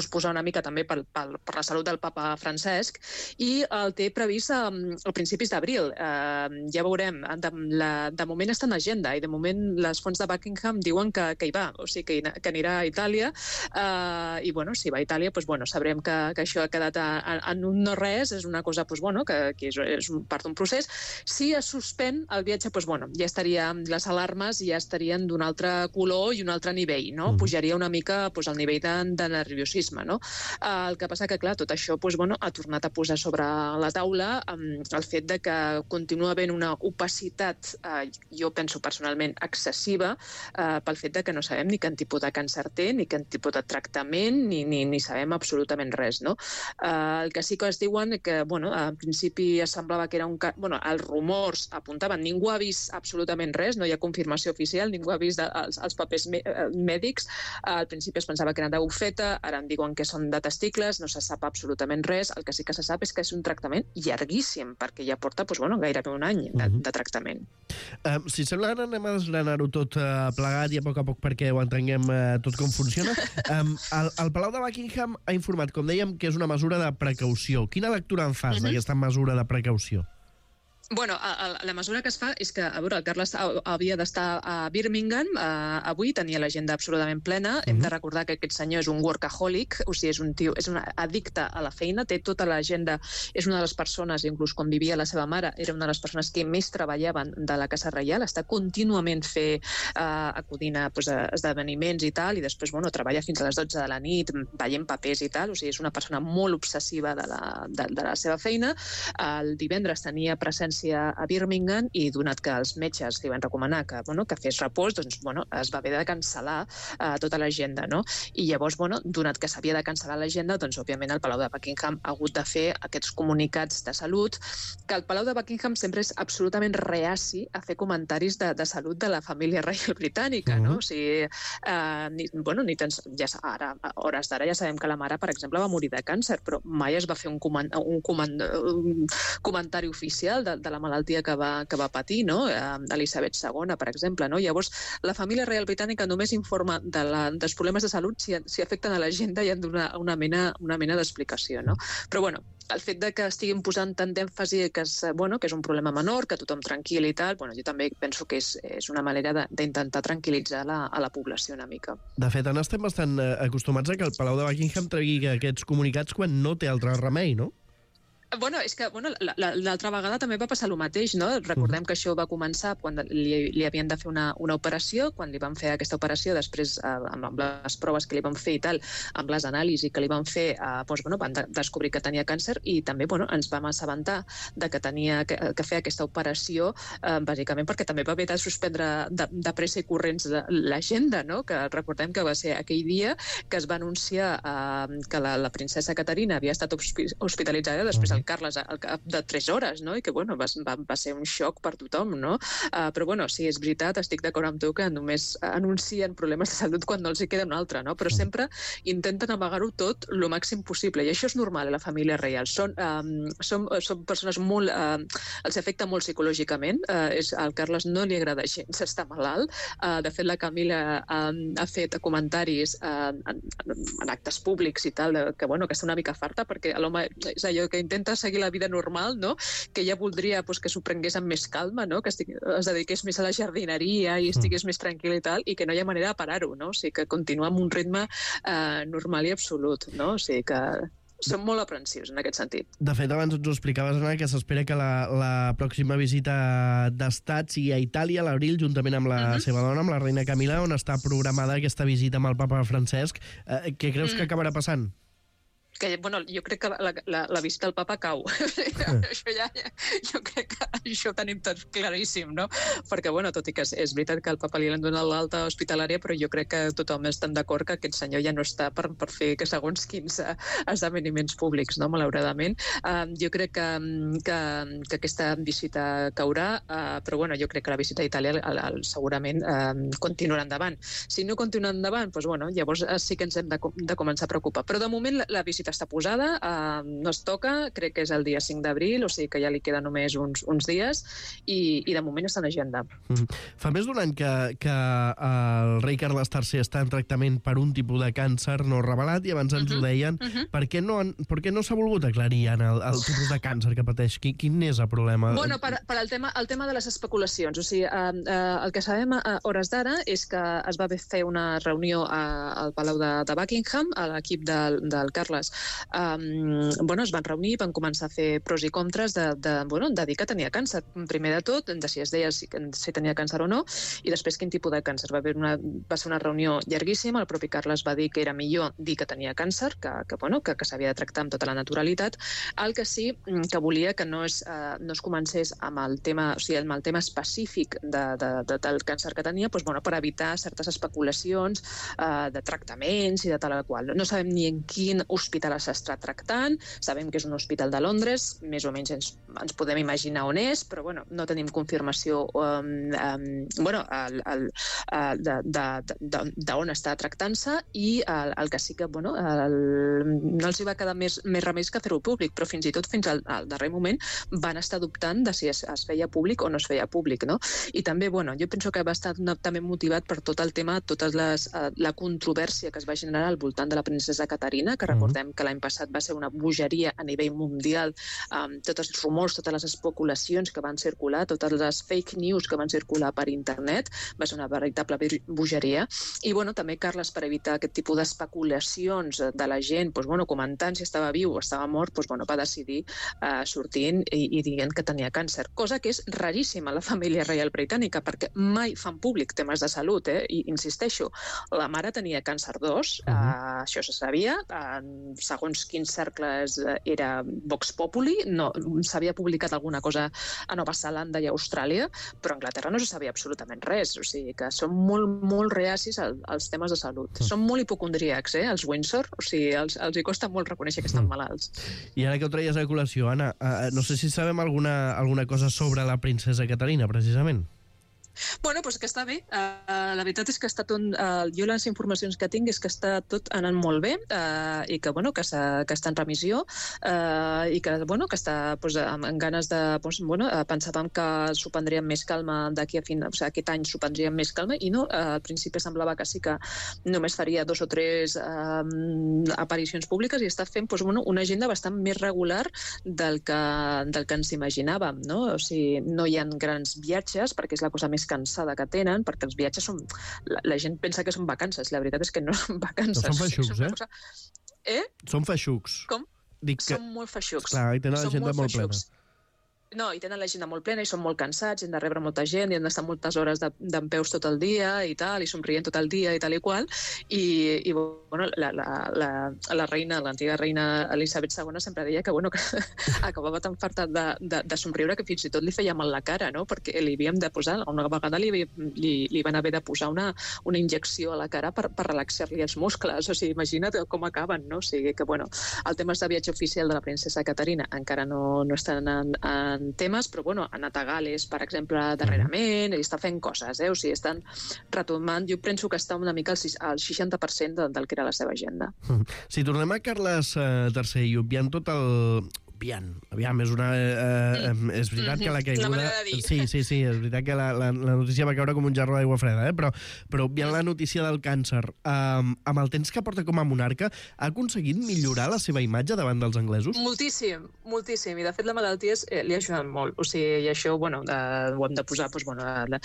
posar una mica també per, per, per la salut del papa Francesc, i el té previst a, a principis d'abril. Eh, ja veurem, de, la, de moment està en agenda, i de moment les fonts de Buckingham diuen que, que hi va, o sigui que, que anirà a Itàlia, eh, i bueno, si va a Itàlia, pues, bueno, sabrem que, que això ha quedat a, a, en un no res, és una cosa pues, bueno, que, que és, és part d'un procés. Si es suspèn el viatge, pues, bueno, ja estaria, les alarmes ja estarien d'un altre color i un altre nivell, no? Pujaria una mica pues, el nivell de, de nerviosisme, no? Uh, el que passa que, clar, tot això pues, bueno, ha tornat a posar sobre la taula um, el fet de que continua havent una opacitat, uh, jo penso personalment excessiva, uh, pel fet de que no sabem ni quin tipus de càncer té, ni quin tipus de tractament, ni, ni, ni sabem absolutament res, no? Uh, el que sí que es diuen que, bueno, en principi semblava que era un... Bueno, els rumors apuntaven, ningú ha vist absolutament res, no hi ha confirmació oficial, ningú ha vist de, els, els papers mèdics. Al principi es pensava que eren de bufeta, ara em diuen que són de testicles, no se sap absolutament res. El que sí que se sap és que és un tractament llarguíssim, perquè ja porta doncs, bueno, gairebé un any de, de tractament. Um, si sembla, anem a desgranar-ho tot uh, plegat i a poc a poc perquè ho entenguem uh, tot com funciona. Um, el, el Palau de Buckingham ha informat, com dèiem, que és una mesura de precaució. Quina lectura en fas uh-huh. d'aquesta mesura de precaució? Bueno, a, a, la mesura que es fa és que, a veure, el Carles havia d'estar a Birmingham uh, avui, tenia l'agenda absolutament plena. Uh-huh. Hem de recordar que aquest senyor és un workaholic, o sigui, és un tio, és un addicte a la feina, té tota l'agenda, és una de les persones, inclús quan vivia la seva mare, era una de les persones que més treballaven de la Casa Reial, està contínuament fer, uh, acudint a, pues, a esdeveniments i tal, i després, bueno, treballa fins a les dotze de la nit, veient papers i tal, o sigui, és una persona molt obsessiva de la, de, de la seva feina. El divendres tenia presència a Birmingham i donat que els metges li van recomanar que, bueno, que fes repòs, doncs bueno, es va haver de cancel·lar uh, tota l'agenda, no? I llavors, bueno, donat que s'havia de cancel·lar l'agenda, doncs òbviament el Palau de Buckingham ha hagut de fer aquests comunicats de salut, que el Palau de Buckingham sempre és absolutament reaci a fer comentaris de, de salut de la família reial britànica, uh-huh. no? O sigui, uh, ni, bueno, ni tens, ja, ara, a hores d'ara ja sabem que la mare, per exemple, va morir de càncer, però mai es va fer un, coment, un, coment, un comentari oficial de, de de la malaltia que va, que va patir, no? Elisabet segona, per exemple. No? Llavors, la família reial britànica només informa de la, dels problemes de salut si, si afecten a l'agenda i han d'una una mena, una mena d'explicació. No? Però, bueno, el fet de que estiguin posant tant d'èmfasi que, és, bueno, que és un problema menor, que tothom tranquil i tal, bueno, jo també penso que és, és una manera d'intentar tranquil·litzar la, a la població una mica. De fet, en estem bastant acostumats a que el Palau de Buckingham tregui aquests comunicats quan no té altre remei, no? Bueno, és que bueno, l'altra vegada també va passar el mateix, no? Recordem que això va començar quan li, li havien de fer una, una operació, quan li van fer aquesta operació, després eh, amb, amb les proves que li van fer i tal, amb les anàlisis que li van fer, eh, doncs, bueno, van de descobrir que tenia càncer i també bueno, ens vam assabentar de que tenia que, que fer aquesta operació, eh, bàsicament perquè també va haver de suspendre de, de pressa i corrents l'agenda, no? Que recordem que va ser aquell dia que es va anunciar eh, que la, la princesa Caterina havia estat hospitalitzada, després el Carles al cap de tres hores, no? I que, bueno, va, va, va ser un xoc per tothom, no? Uh, però, bueno, sí, és veritat, estic d'acord amb tu que només anuncien problemes de salut quan no els hi queda un altre, no? Però sempre intenten amagar-ho tot el màxim possible, i això és normal a la família reial. Són, um, són, són persones molt... Uh, els afecta molt psicològicament, uh, és, al Carles no li agrada gens estar malalt, uh, de fet la Camila uh, ha fet comentaris uh, en, en actes públics i tal, de, que, bueno, que està una mica farta, perquè l'home és allò que intenta seguir la vida normal, no? Que ella voldria pues, que s'ho prengués amb més calma, no? Que estigui, es dediqués més a la jardineria i estigués mm. més tranquil i tal, i que no hi ha manera de parar-ho, no? O sigui, que continua amb un ritme eh, normal i absolut, no? O sigui que som molt aprensius en aquest sentit. De fet, abans ens ho explicaves, Anna, que s'espera que la, la pròxima visita d'estat sigui a Itàlia a l'abril, juntament amb la uh-huh. seva dona, amb la reina Camila, on està programada aquesta visita amb el papa Francesc. Eh, què creus mm. que acabarà passant? Que, bueno, jo crec que la, la, la vista del papa cau. això ja, jo crec que això ho tenim tot claríssim, no? Perquè, bueno, tot i que és, és veritat que el papa li han donat l'alta hospitalària, però jo crec que tothom està d'acord que aquest senyor ja no està per, per fer que segons quins esdeveniments públics, no? Malauradament. Uh, jo crec que, que, que aquesta visita caurà, uh, però, bueno, jo crec que la visita a Itàlia el, el, segurament uh, continuarà endavant. Si no continua endavant, doncs, bueno, llavors sí que ens hem de, de començar a preocupar. Però, de moment, la, la visita està posada, eh, no es toca, crec que és el dia cinc d'abril, o sigui que ja li queda només uns, uns dies, i, i de moment està en agenda. Mm. Fa més d'un any que, que el rei Carles tercer està en tractament per un tipus de càncer no revelat, i abans ens uh-huh. ho deien. Uh-huh. Per què no, per què no s'ha volgut aclarir en el, el tipus de càncer que pateix? Quin, quin és el problema? Bueno, per, per el, tema, el tema de les especulacions. O sigui, eh, eh, el que sabem a hores d'ara és que es va fer una reunió a, al Palau de, de Buckingham, a l'equip del, del Carles. Um, bueno, es van reunir, van començar a fer pros i contres de, de, bueno, de dir que tenia càncer. Primer de tot, de si es deia si, si tenia càncer o no, i després quin tipus de càncer. Va, haver una, va ser una reunió llarguíssima, el propi Carles va dir que era millor dir que tenia càncer, que, que, bueno, que, que s'havia de tractar amb tota la naturalitat. El que sí que volia que no es, uh, no es comencés amb el tema, o sigui, amb el tema específic de, de, de, del càncer que tenia, doncs, bueno, per evitar certes especulacions uh, de tractaments i de tal qual. No sabem ni en quin hospital s'està tractant, sabem que és un hospital de Londres, més o menys ens, ens podem imaginar on és, però bueno, no tenim confirmació um, um, bueno, el, el, el, de, de, de, de on està tractant-se, i el, el que sí que bueno, el, no els hi va quedar més, més remeis que fer-ho públic, però fins i tot fins al, al darrer moment van estar dubtant de si es, es feia públic o no es feia públic, no? I també, bueno, jo penso que va estar no, també motivat per tot el tema, tota les, uh, la controvèrsia que es va generar al voltant de la princesa Caterina, que recordem que l'any passat va ser una bogeria a nivell mundial, um, tots els rumors, totes les especulacions que van circular, totes les fake news que van circular per internet, va ser una veritable bogeria. I bueno, també Carles, per evitar aquest tipus d'especulacions de la gent, doncs, bueno, comentant si estava viu o estava mort, doncs, bueno, va decidir uh, sortint i, i dient que tenia càncer, cosa que és raríssima a la família reial britànica, perquè mai fan públic temes de salut, eh? I insisteixo, la mare tenia càncer dos, uh-huh. uh, això se sabia, uh, segons quins cercles era Vox Populi, no, s'havia publicat alguna cosa a Nova Zelanda i a Austràlia, però a Anglaterra no se sabia absolutament res, o sigui que són molt, molt reacis als, als temes de salut. Mm. Són molt hipocondríacs, eh, els Windsor, o sigui, els, els hi costa molt reconèixer que estan mm. malalts. I ara que ho traies a col·lació, Anna, uh, no sé si sabem alguna, alguna cosa sobre la princesa Caterina, precisament. Bueno, doncs que està bé. Uh, la veritat és que està tot, uh, jo les informacions que tinc és que està tot anant molt bé uh, i que, bueno, que, que està en remissió uh, i que, bueno, que està pues, amb, amb ganes de... Pues, bueno, uh, pensàvem que s'ho prendríem més calma d'aquí a fin... O sigui, aquest any s'ho prendríem més calma i no, uh, al principi semblava que sí que només faria dos o tres uh, aparicions públiques i està fent pues, bueno, una agenda bastant més regular del que, del que ens imaginàvem, no? O sigui, no hi ha grans viatges perquè és la cosa més cansada que tenen, perquè els viatges són... La, la gent pensa que són vacances, la veritat és que no són vacances. No són feixucs, eh? Cosa... Eh? Són feixucs. Com? Dic que... Són molt feixucs. Clar, i tenen l'agenda molt, molt plena. No, i tenen l'agenda molt plena i són molt cansats, han de rebre molta gent i han d'estar moltes hores dempeus tot el dia i tal, i somrient tot el dia i tal i qual. I, i bueno, la, la, la, la reina, l'antiga reina Elisabet segona sempre deia que, bueno, que acabava tan farta de, de, de somriure que fins i tot li feia mal la cara, no? Perquè li havíem de posar, una vegada li, li, li van haver de posar una, una injecció a la cara per, per relaxar-li els muscles. O sigui, imagina't com acaben, no? O sigui que, bueno, el tema de viatge oficial de la princesa Caterina encara no, no estan en, en temes, però bueno, ha anat a Gales, per exemple, darrerament, i està fent coses, eh? O sigui, estan retomant, jo penso que està una mica al seixanta per cent del que era la seva agenda. Si tornem a Carles eh, tercer i obviant tot el... Obviant, aviam, és una... Eh, mm. És veritat que la caiguda... La manera de dir. Sí, sí, sí, és veritat que la, la, la notícia va caure com un jarro d'aigua freda, eh? Però, però obviant la notícia del càncer, eh, amb el temps que porta com a monarca, ha aconseguit millorar la seva imatge davant dels anglesos? Moltíssim, moltíssim. I, de fet, la malaltia és, eh, li ha ajudat molt. O sigui, i això, bueno, eh, ho hem de posar, doncs, bueno... Eh,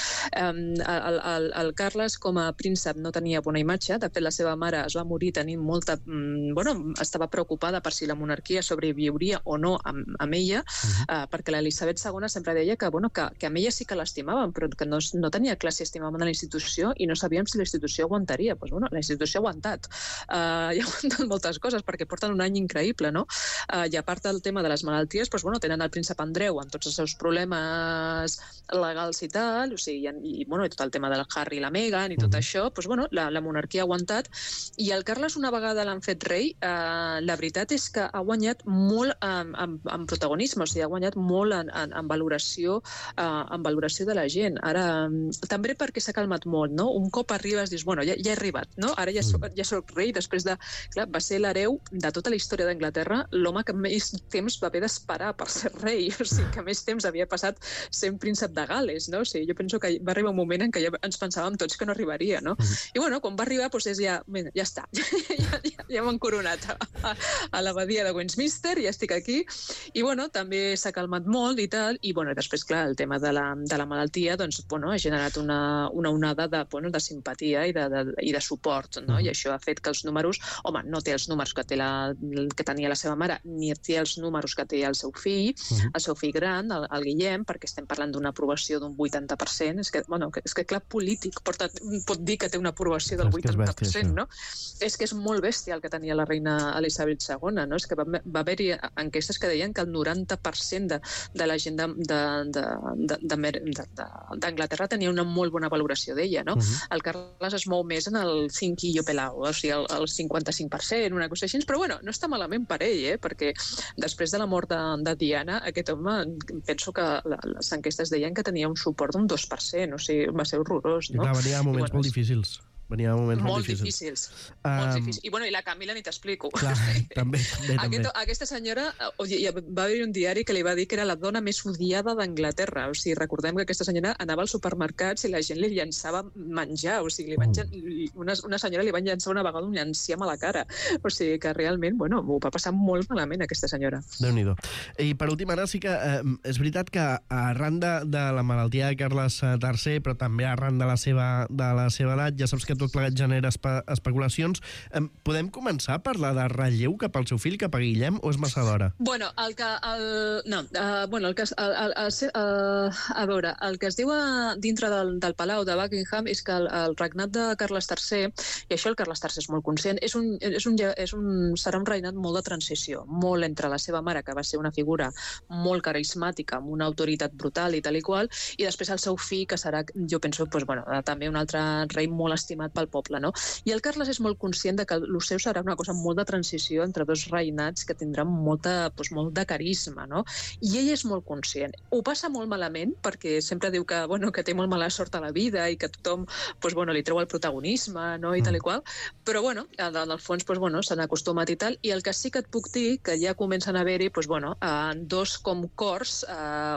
el, el, el Carles, com a príncep, no tenia bona imatge. De fet, la seva mare es va morir tenint molta... Mm, bueno, estava preocupada per si la monarquia sobreviuria o no no amb, amb ella, uh-huh. uh, perquè l'Elisabet segona sempre deia que, bueno, que, que amb ella sí que l'estimaven, però que no, no tenia clar si estimaven a la institució i no sabíem si la institució aguantaria. Pues, bueno, la institució ha aguantat. Uh, i ha aguantat moltes coses, perquè porten un any increïble, no? Uh, I a part del tema de les malalties, pues, bueno, tenen el príncep Andreu amb tots els seus problemes legals i tal, o sigui, i, i, bueno, i tot el tema del Harry i la Meghan i tot uh-huh. això, pues, bueno, la, la monarquia ha aguantat. I el Carles, una vegada l'han fet rei, uh, la veritat és que ha guanyat molt um, en, en protagonisme, o sigui, ha guanyat molt en, en, en, valoració, uh, en valoració de la gent. Ara, um, també perquè s'ha calmat molt, no? Un cop arribes, dius, bueno, ja, ja he arribat, no? Ara ja soc, ja soc rei, després de... Clar, va ser l'hereu de tota la història d'Anglaterra, l'home que més temps va haver d'esperar per ser rei, o sigui, que més temps havia passat sent príncep de Gales, no? O sigui, jo penso que va arribar un moment en què ja ens pensàvem tots que no arribaria, no? Uh-huh. I bueno, quan va arribar, doncs és ja, ja, ja està, ja, ja, ja m'han coronat a, a, a l'abadia de Westminster, ja estic aquí, i bueno, també s'ha calmat molt i tal, i bueno, després, clar, el tema de la, de la malaltia, doncs, bueno, ha generat una, una onada de, bueno, de simpatia i de, de, i de suport, no? Uh-huh. I això ha fet que els números, home, no té els números que, té la, que tenia la seva mare, ni té els números que té el seu fill, uh-huh. el seu fill gran, el, el Guillem, perquè estem parlant d'una aprovació d'un vuitanta per cent, és que, bueno, és que clar, polític porta, pot dir que té una aprovació del vuitanta per cent, no? És que és molt bèstia el que tenia la reina Elisabet segona, no? És que va, va haver-hi enquestes que deien que el noranta per cent de, de la gent d'Anglaterra tenia una molt bona valoració d'ella, no? Uh-huh. El Carles es mou més en el cinquillo pelao, o sigui, el, el cinquanta-cinc per cent, una cosa així, però bueno, no està malament per ell, eh? Perquè després de la mort de, de Diana, aquest home, penso que la, les enquestes deien que tenia un suport d'un dos per cent, o sigui, va ser horrorós, no? I clar, venia moments I, bueno, molt difícils. Venia moments molt, molt difícils. difícils. Um, molt difícils. I bueno, i la Camila ni t'explico. Clar, també, també, Aquest, aquesta senyora, va haver un diari que li va dir que era la dona més odiada d'Anglaterra. O sigui, recordem que aquesta senyora anava als supermercats i la gent li llançava menjar. O sigui, li van, una, una senyora li van llançar una vegada un llanciam a la cara. O sigui, que realment, bueno, ho va passar molt malament aquesta senyora. Déu-n'hi-do. I per últim, ara sí que eh, és veritat que arran de, de la malaltia de Carles tercer, però també arran de la seva, de la seva edat, ja saps que tot plegat genera espe especulacions. Eh, podem començar a parlar de relleu cap al seu fill, cap a Guillem, o és massa d'hora? Bueno, el que... El, no, uh, bueno, el que... El, el, el, uh, a veure, el que es diu a, dintre del, del Palau de Buckingham és que el, el regnat de Carles tercer, i això el Carles tercer és molt conscient, és un, és un, és un, serà un regnat molt de transició, molt entre la seva mare, que va ser una figura molt carismàtica, amb una autoritat brutal i tal i qual, i després el seu fill, que serà, jo penso, pues, bueno, també un altre rei molt estimat estimat pel poble, no? I el Carles és molt conscient de que el seu serà una cosa molt de transició entre dos reinats que tindran molta, doncs, molt de carisma, no? I ell és molt conscient. Ho passa molt malament perquè sempre diu que, bueno, que té molt mala sort a la vida i que tothom doncs, bueno, li treu el protagonisme, no? I tal i qual, però bueno, en el fons doncs, bueno, s'han acostumat i tal, i el que sí que et puc dir que ja comencen a haver-hi doncs, bueno, dos com cors,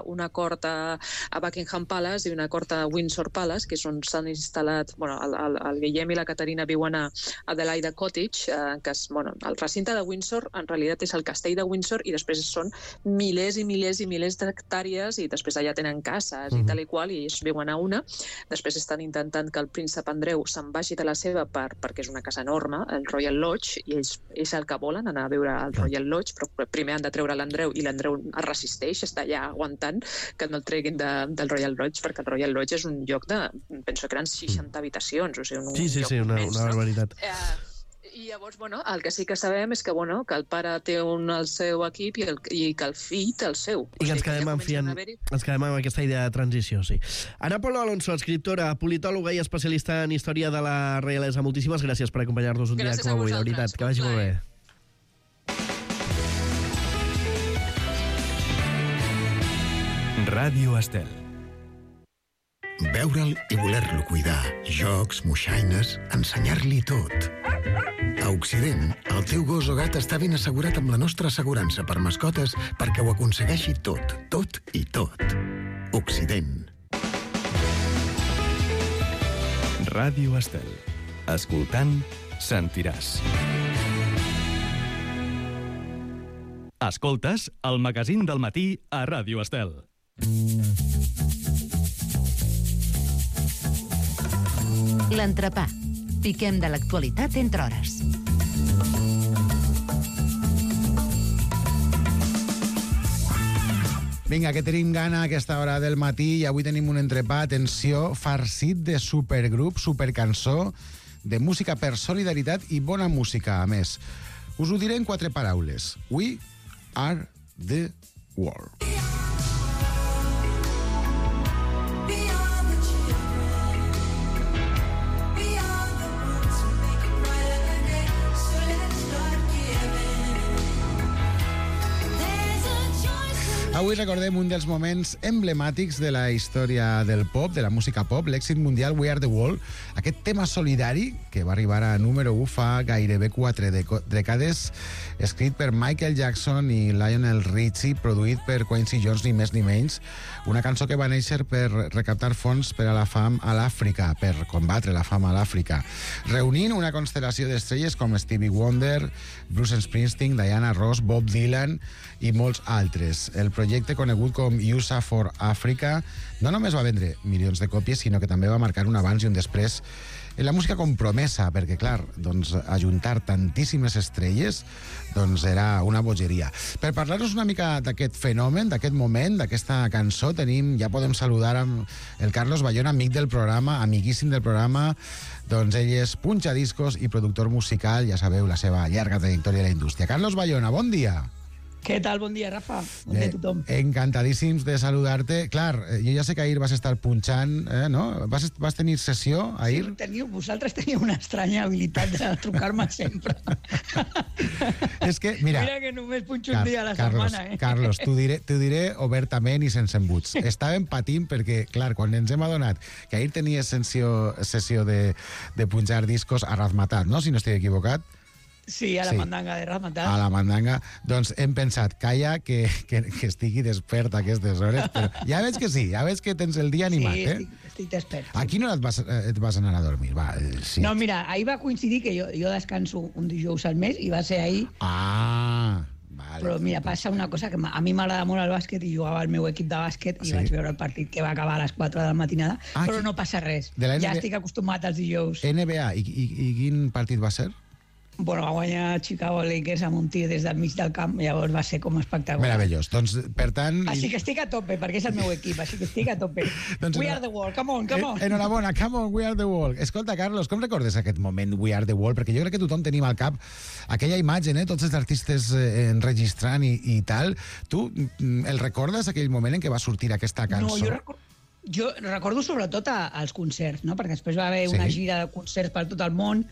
una cort a, a Buckingham Palace i una cort a Windsor Palace, que és on s'han instal·lat, bueno, el, el, el Guillem i la Caterina viuen a Adelaida Cottage, eh, que és, bueno, el recinte de Windsor en realitat és el castell de Windsor i després són milers i milers i milers d'hectàrees i després allà tenen cases mm. i tal i qual, i ells viuen a una. Després estan intentant que el príncep Andreu se'n vagi de la seva per, perquè és una casa enorme, el Royal Lodge, i ells és el que volen, anar a veure el Royal Lodge, però primer han de treure l'Andreu i l'Andreu es resisteix, està allà aguantant que no el treguin de, del Royal Lodge, perquè el Royal Lodge és un lloc de, penso que eren seixanta habitacions, o sigui, un, sí, sí, un lloc sí, una, immens, una barbaritat. No? Eh, I llavors, bueno, el que sí que sabem és que, bueno, que el pare té un el seu equip i, el, i que el fill té el seu. I que ens quedem, en fiant, ens quedem amb aquesta idea de transició, sí. Ana Polo Alonso, escriptora, politòloga i especialista en història de la reialesa. Moltíssimes gràcies per acompanyar-nos un gràcies dia com avui, de veritat. Que vagi molt bé. Ràdio Estel. Veure'l i voler-lo cuidar, jocs, moixaines, ensenyar-li tot. A Occident, el teu gos o gat està ben assegurat amb la nostra assegurança per mascotes perquè ho aconsegueixi tot, tot i tot. Occident. Ràdio Estel. Escoltant, sentiràs. Escoltes el magazín del matí a Ràdio Estel. L'entrepà. Piquem de l'actualitat entre hores. Vinga, que tenim gana a aquesta hora del matí i avui tenim un entrepà, atenció, farcit de supergrup, supercançó, de música per solidaritat i bona música, a més. Us ho diré en quatre paraules. We are the world. Avui recordem un dels moments emblemàtics de la història del pop, de la música pop, l'èxit mundial We Are The World, aquest tema solidari que va arribar a número u fa gairebé quatre dècades, escrit per Michael Jackson i Lionel Richie, produït per Quincy Jones, ni més ni menys, una cançó que va néixer per recaptar fons per a la fam a l'Àfrica, per combatre la fam a l'Àfrica, reunint una constel·lació d'estrelles com Stevie Wonder, Bruce Springsteen, Diana Ross, Bob Dylan i molts altres. El projecte conegut com U S A for Africa no només va vendre milions de còpies, sinó que també va marcar un abans i un després en la música compromesa, perquè, clar, doncs, ajuntar tantíssimes estrelles doncs era una bogeria. Per parlar-nos una mica d'aquest fenomen, d'aquest moment, d'aquesta cançó, tenim, ja podem saludar amb el Carlos Bayona, amic del programa, amiguíssim del programa. Doncs ell és punxadiscos i productor musical, ja sabeu, la seva llarga trajectòria a la indústria. Carlos Bayona, bon dia. Què tal? Bon dia, Rafa. Bon dia a tothom. Eh, encantadíssims de saludar-te. Clar, jo ja sé que ahir vas estar punxant, eh, no? Vas, vas tenir sessió ahir? Sí, teniu, vosaltres teniu una estranya habilitat de trucar-me sempre. És que, mira... Mira que només punxo un Car dia a la Carlos, setmana, eh? Carlos, t'ho diré, t'ho diré obertament i sense embuts. Estàvem patint perquè, clar, quan ens hem adonat que ahir tenies sessió, sessió de, de punxar discos a Razmatat, no?, si no estic equivocat. Sí, a la sí. mandanga de Razmatat. A la mandanga. Doncs hem pensat, calla, que, que, que estigui despert a aquestes hores, però ja veig que sí, ja veig que tens el dia animat, sí, eh? Sí, estic, estic despert. A quina hora et vas, et vas anar a dormir? Va, sí. No, mira, ahir va coincidir que jo, jo descanso un dijous al mes i va ser ahir... Ah, vale. Però mira, passa una cosa, que a mi m'agrada molt el bàsquet i jugava al meu equip de bàsquet i sí. vaig veure el partit que va acabar a les quatre de la matinada, ah, però no passa res. Ja estic acostumat als dijous. N B A, i, i, i quin partit va ser? Bueno, va guanyar Chicago Lakers amb un tir des del mig del camp, llavors va ser com espectacular. Meravellós. Doncs, per tant... Així que estic a tope, perquè és el meu equip, així que estic a tope. doncs, we are the world, come on, come on. Enhorabona, come on, we are the world. Escolta, Carlos, com recordes aquest moment, we are the world? Perquè jo crec que tothom tenim al cap aquella imatge, eh? Tots els artistes eh, enregistrant i, i tal. Tu el recordes, aquell moment en què va sortir aquesta cançó? No, jo recordo... Jo recordo sobretot als concerts, no? Perquè després va haver Sí. una gira de concerts per tot el món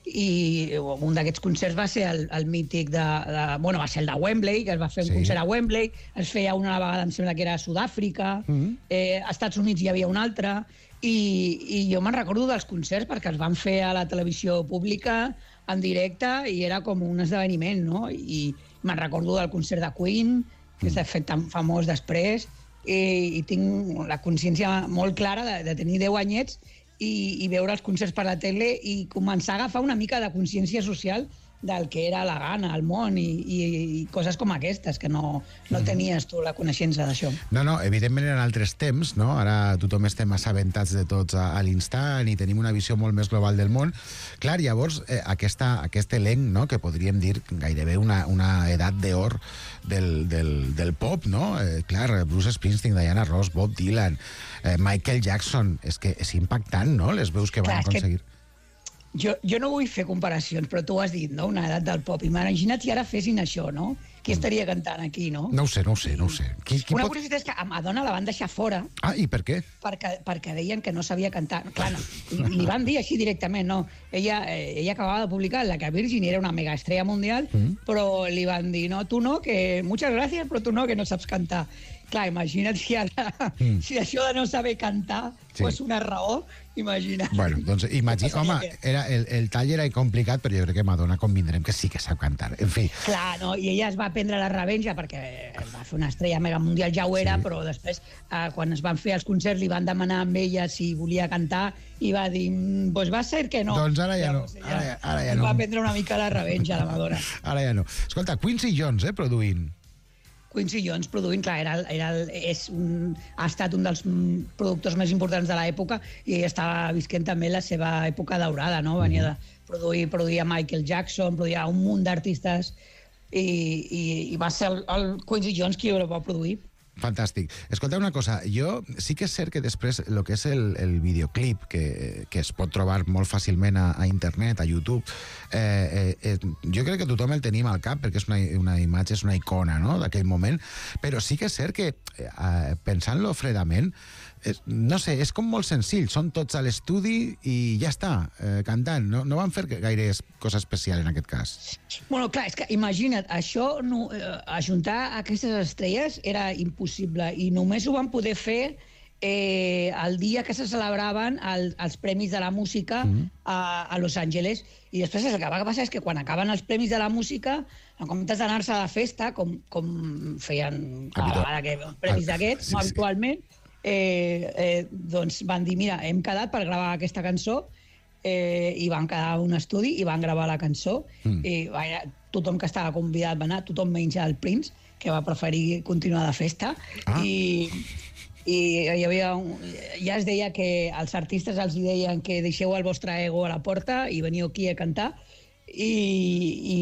i un d'aquests concerts va ser el, el mític de, de... Bueno, va ser el de Wembley, que es va fer un Sí. concert a Wembley, es feia una vegada, em sembla que era a Sud-àfrica, Mhm. eh, als Estats Units hi havia un altre, i, i jo me'n recordo dels concerts perquè els van fer a la televisió pública en directe i era com un esdeveniment, no? I me'n recordo del concert de Queen, que s'ha fet tan famós després, i, i tinc la consciència molt clara de, de tenir deu anyets i, i veure els concerts per la tele i començar a agafar una mica de consciència social del que era la Ghana, el món i, i, i coses com aquestes, que no, no tenies tu la coneixença d'això. No, no, evidentment eren altres temps, no? Ara tothom estem assabentats de tots a, a l'instant i tenim una visió molt més global del món. Clar, llavors, eh, aquesta, aquest elenc, no?, que podríem dir gairebé una, una edat d'or del, del, del pop, no? Eh, clar, Bruce Springsteen, Diana Ross, Bob Dylan, eh, Michael Jackson, és que és impactant, no?, les veus que van Clar, és que- aconseguir. Jo, jo no vull fer comparacions, però tu ho has dit, no?, una edat del pop. Imagina't si ara fessin això, no? Qui estaria cantant aquí, no? No ho sé, no ho sé, no ho sé. Qui, qui Una pot... curiositat és que a Madonna la van deixar fora Ah, i per què? perquè, perquè deien que no sabia cantar. Clar, no, li, li van dir així directament, no? Ella, eh, ella acabava de publicar La que Virgin era una mega estrella mundial, mm. però li van dir, no, tu no, que muchas gracias, però tu no, que no saps cantar. Clar, imagina't si ara, mm. si això de no saber cantar Sí. fos una raó, imagina't. Bueno, doncs imagina, home, era, el, el tall era complicat, però jo crec que Madonna convindrem que sí que sap cantar. En fi, Clar, no? I ella es va prendre la revenja perquè va fer una estrella mega mundial, ja ho era, Sí. però després, eh, quan es van fer els concerts, li van demanar amb ella si volia cantar i va dir, "Mm, pues va ser que no. Doncs ara ja no, Llavors, ara ja- ara ja es no. Va prendre una mica la revenja, la Madonna. ara ja no. Escolta, Quincy Jones, eh, produint. Quincy Jones produint, clar, era, el- era el, és un, ha estat un dels mm, productors més importants de l'època i ell estava visquent també la seva època daurada, no? Venia de produir, produir a Michael Jackson, produïa un munt d'artistes i, i, i va ser el, el Quincy Jones qui ho va produir. Fantàstic. Escolta una cosa, jo sí que és cert que després el que és el, el videoclip, que, que es pot trobar molt fàcilment a, a internet, a YouTube, eh, eh, eh, jo crec que tothom el tenim al cap perquè és una, una imatge, és una icona, no?, d'aquell moment, però sí que és cert que, eh, pensant-lo fredament, eh, no sé, és com molt senzill, són tots a l'estudi i ja està, eh, cantant. No, no van fer gaire cosa especial en aquest cas. Bueno, clar, és que imagina't, això, no, eh, ajuntar aquestes estrelles era impossible i només ho van poder fer eh, el dia que se celebraven el, els Premis de la Música mm. a, a Los Angeles. I després el que va passar és que quan acaben els Premis de la Música, en comptes d'anar-se a la festa, com, com feien cada Habitu- vegada que hi havia uns premis d'aquests, Sí, no sí. habitualment, eh, eh, doncs van dir, mira, hem quedat per gravar aquesta cançó, eh, i van quedar a un estudi i van gravar la cançó Mm. i vaja, tothom que estava convidat va anar, tothom menys el Prince, que va preferir continuar de festa. Ah. I, i hi havia un, ja es deia que els artistes els hi deien que deixeu el vostre ego a la porta i veniu aquí a cantar, i,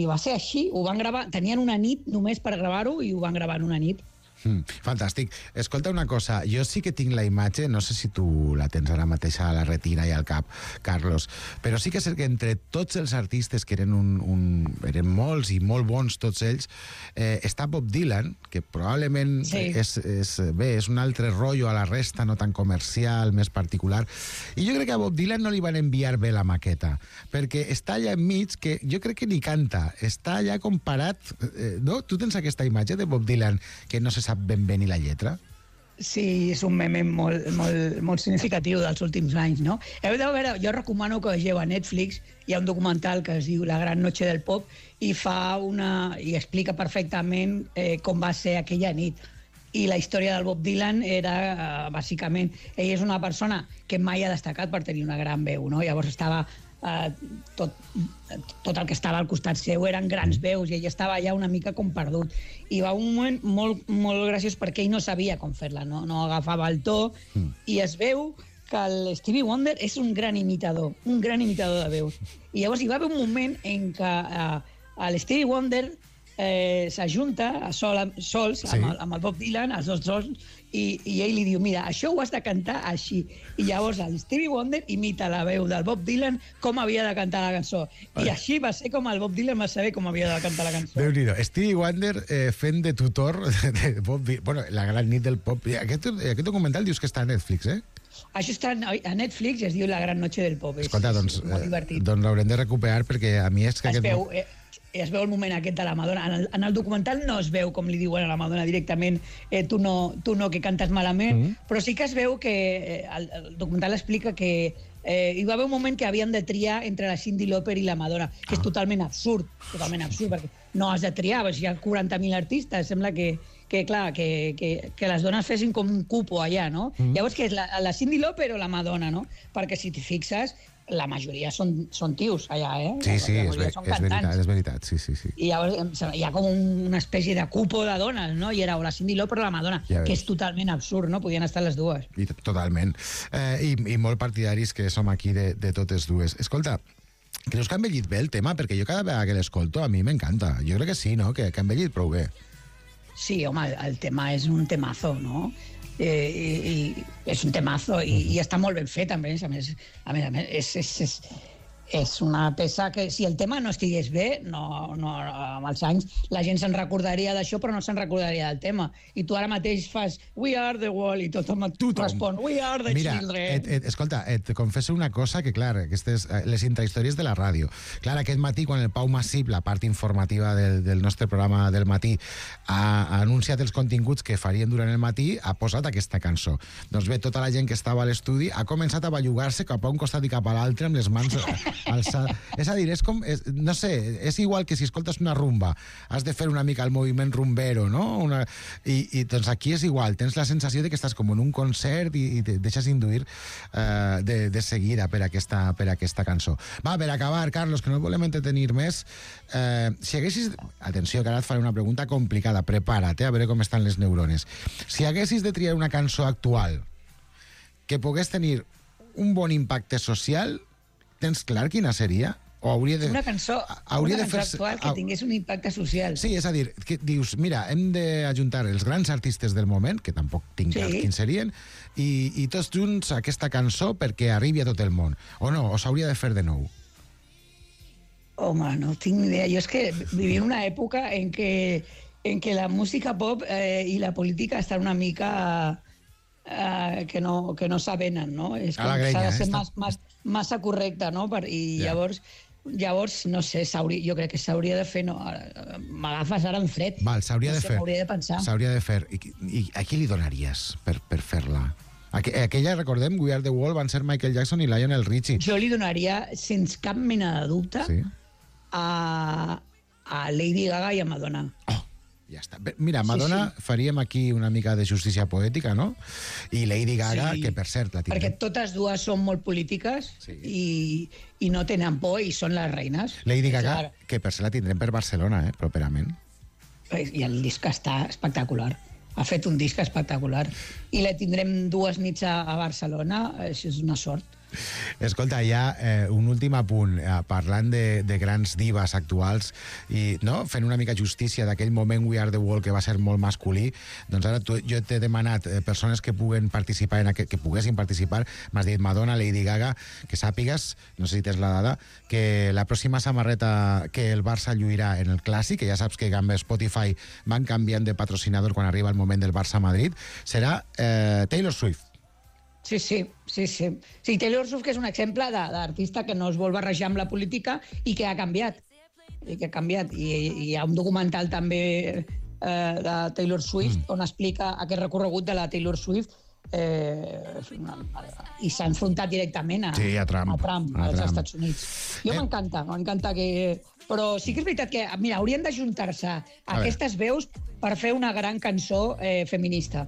i va ser així, ho van gravar, tenien una nit només per gravar-ho i ho van gravar en una nit. Mm, fantàstic. Escolta una cosa, jo sí que tinc la imatge, no sé si tu la tens ara mateix a la retina i al cap, Carlos, però sí que és cert que entre tots els artistes, que eren, un, un, eren molts i molt bons tots ells, eh, està Bob Dylan, que probablement Sí. és, és, bé, és un altre rotllo a la resta, no tan comercial, més particular. I jo crec que a Bob Dylan no li van enviar bé la maqueta, perquè està allà enmig, que jo crec que ni canta, està allà comparat, eh, no? Tu tens aquesta imatge de Bob Dylan que no se sap ben bé ni la lletra? Sí, és un meme molt, molt, molt significatiu dels últims anys, no? Heu de veure, jo recomano que vegeu a Netflix, hi ha un documental que es diu La gran noche del pop i fa una i explica perfectament eh, com va ser aquella nit. I la història del Bob Dylan era, eh, bàsicament, ell és una persona que mai ha destacat per tenir una gran veu, no? Llavors estava eh, tot, tot el que estava al costat seu eren grans veus i ell estava allà una mica com perdut. I va un moment molt, molt graciós perquè ell no sabia com fer-la, no, no agafava el to mm. i es veu que el Stevie Wonder és un gran imitador, un gran imitador de veus. I llavors hi va haver un moment en què eh, el Stevie Wonder eh, s'ajunta a sol, sols Sí. amb, el, amb el Bob Dylan, els dos sols, i, i ell li diu, mira, això ho has de cantar així. I llavors el Stevie Wonder imita la veu del Bob Dylan com havia de cantar la cançó. I així va ser com el Bob Dylan va saber com havia de cantar la cançó. Déu-n'hi-do. Stevie Wonder eh, fent de tutor de Bob Dylan. Bueno, la gran nit del pop. Aquest, aquest documental dius que està a Netflix, eh? Això està a Netflix, es diu La gran noche del pop. Escolta, doncs, és molt divertit. eh, doncs l'haurem de recuperar perquè a mi és que Es aquest... veu, eh, es veu el moment aquest de la Madonna. En el, en el documental no es veu com li diuen a la Madonna directament, eh, tu, no, tu no, que cantes malament, mm. però sí que es veu que eh, el, el documental explica que eh, hi va haver un moment que havien de triar entre la Cyndi Lauper i la Madonna, que és totalment absurd, totalment absurd, perquè no has de triar, perquè hi ha quaranta mil artistes, sembla que, que clar, que, que, que les dones fessin com un cupo allà, no? Mm. Llavors, que és la, la Cyndi Lauper o la Madonna, no? Perquè si t'hi fixes, la majoria són, són tios allà, eh? Sí, sí, la és, ver, són és veritat, és veritat, sí, sí, sí. I llavors em sembla, hi ha com una espècie de cupo de dones, no? I era o la Cyndi Lauper o la Madonna, Ja que veus. és totalment absurd, no? Podien estar les dues. I, totalment. Eh, i, I molt partidaris que som aquí de, de totes dues. Escolta, creus que ha envellit bé el tema? Perquè jo cada vegada que l'escolto a mi m'encanta. Jo crec que sí, no? Que, que ha envellit prou bé. Sí, home, el, el tema és un temazo, no? Eh, i, i és un temazo i, i està molt ben fet, a més, a més, a més, a més és, és, és, és una peça que si el tema no estigués bé, no, no, amb els anys la gent se'n recordaria d'això, però no se'n recordaria del tema. I tu ara mateix fas We are the world i tothom et respon We are the Mira, children. et, et, escolta, et confesso una cosa que, clar, aquestes, eh, les intrahistòries de la ràdio. Clar, aquest matí, quan el Pau Massip, la part informativa del, del nostre programa del matí, ha, ha anunciat els continguts que farien durant el matí, ha posat aquesta cançó. Doncs bé, tota la gent que estava a l'estudi ha començat a bellugar-se cap a un costat i cap a l'altre amb les mans alçades. És a dir, és com, és, no sé, és igual que si escoltes una rumba, has de fer una mica el moviment rumbero, no? Una, i, I doncs aquí és igual, tens la sensació de que estàs com en un concert i, i te deixes induir eh, de, de seguida per aquesta, per aquesta cançó. Va, per acabar, Carlos, que no volem entretenir més, eh, si haguessis... Atenció, que ara et faré una pregunta complicada, prepara't, eh, a veure com estan les neurones. Si haguessis de triar una cançó actual que pogués tenir un bon impacte social, tens clar quina seria? O hauria de... Una cançó, hauria una de cançó fer... actual que tingués un impacte social. Sí, és a dir, que dius, mira, hem d'ajuntar els grans artistes del moment, que tampoc tinc clar Sí. quins serien, i, i tots junts aquesta cançó perquè arribi a tot el món. O no, o s'hauria de fer de nou. Home, no tinc ni idea. Jo és que vivim una època en què, en què la música pop eh, i la política estan una mica eh, que, no, que no s'avenen, no? És A la com que s'ha grenya, de ser eh? mas, mas, massa correcta, no? Per, I Ja. llavors, llavors, no sé, jo crec que s'hauria de fer... No, ara, m'agafes ara en fred. Val, s'hauria no de sé, fer. M'hauria de pensar. S'hauria de fer. I, I a qui li donaries per, per fer-la? Aqu aquella, recordem, We Are the World, van ser Michael Jackson i Lionel Richie. Jo li donaria, sense cap mena de dubte, Sí. a, a Lady Gaga i a Madonna. Ja està. Bé, mira, Madonna, sí, sí. faríem aquí una mica de justícia poètica, no? I Lady Gaga, Sí, que per cert la Perquè tindrem. totes dues són molt polítiques Sí. i, i no tenen por i són les reines. Lady Gaga, Clar. que per cert la tindrem per Barcelona, eh, properament. I el disc està espectacular. Ha fet un disc espectacular. I la tindrem dues nits a, a Barcelona. Això és una sort. Escolta, ja eh, un últim apunt, eh, parlant de, de grans divas actuals i no, fent una mica justícia d'aquell moment We Are the World que va ser molt masculí, doncs ara tu, jo t'he demanat eh, persones que puguen participar en aquest, que poguessin participar, m'has dit Madonna, Lady Gaga, que sàpigues, no sé si tens la dada, que la pròxima samarreta que el Barça lluirà en el Clàssic, que ja saps que amb Spotify van canviant de patrocinador quan arriba el moment del Barça-Madrid, serà eh, Taylor Swift. Sí, sí, sí, sí. Sí, Taylor Swift, que és un exemple de- d'artista que no es vol barrejar amb la política i que ha canviat. I que ha canviat. I, i hi ha un documental també eh, de Taylor Swift mm. on explica aquest recorregut de la Taylor Swift eh, i s'ha enfrontat directament a, Sí, a Trump. a Trump, A als Trump. Estats Units. Jo Eh. m'encanta, m'encanta que... Però sí que és veritat que, mira, haurien d'ajuntar-se A aquestes veus per fer una gran cançó eh, feminista.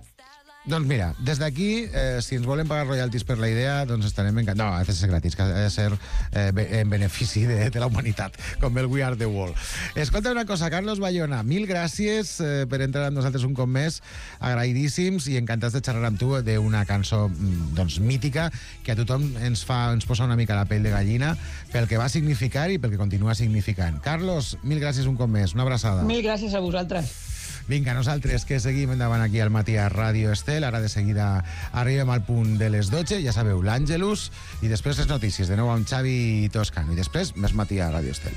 Doncs mira, des d'aquí, eh, si ens volen pagar royalties per la idea, doncs estarem encantats. No, ha de ser gratis, que ha de ser eh, en benefici de, de la humanitat, com el We Are the World. Escolta una cosa, Carlos Bayona, mil gràcies eh, per entrar amb nosaltres un cop més, agraïdíssims i encantats de xerrar amb tu d'una cançó doncs, mítica que a tothom ens fa ens posa una mica la pell de gallina pel que va significar i pel que continua significant. Carlos, mil gràcies un cop més, una abraçada. Mil gràcies a vosaltres. Vinga, nosaltres que seguim endavant aquí al matí a Ràdio Estel. Ara de seguida arribem al punt de les dotze, ja sabeu, l'Àngelus, i després les notícies, de nou amb Xavi Toscano, i després més matí a Ràdio Estel.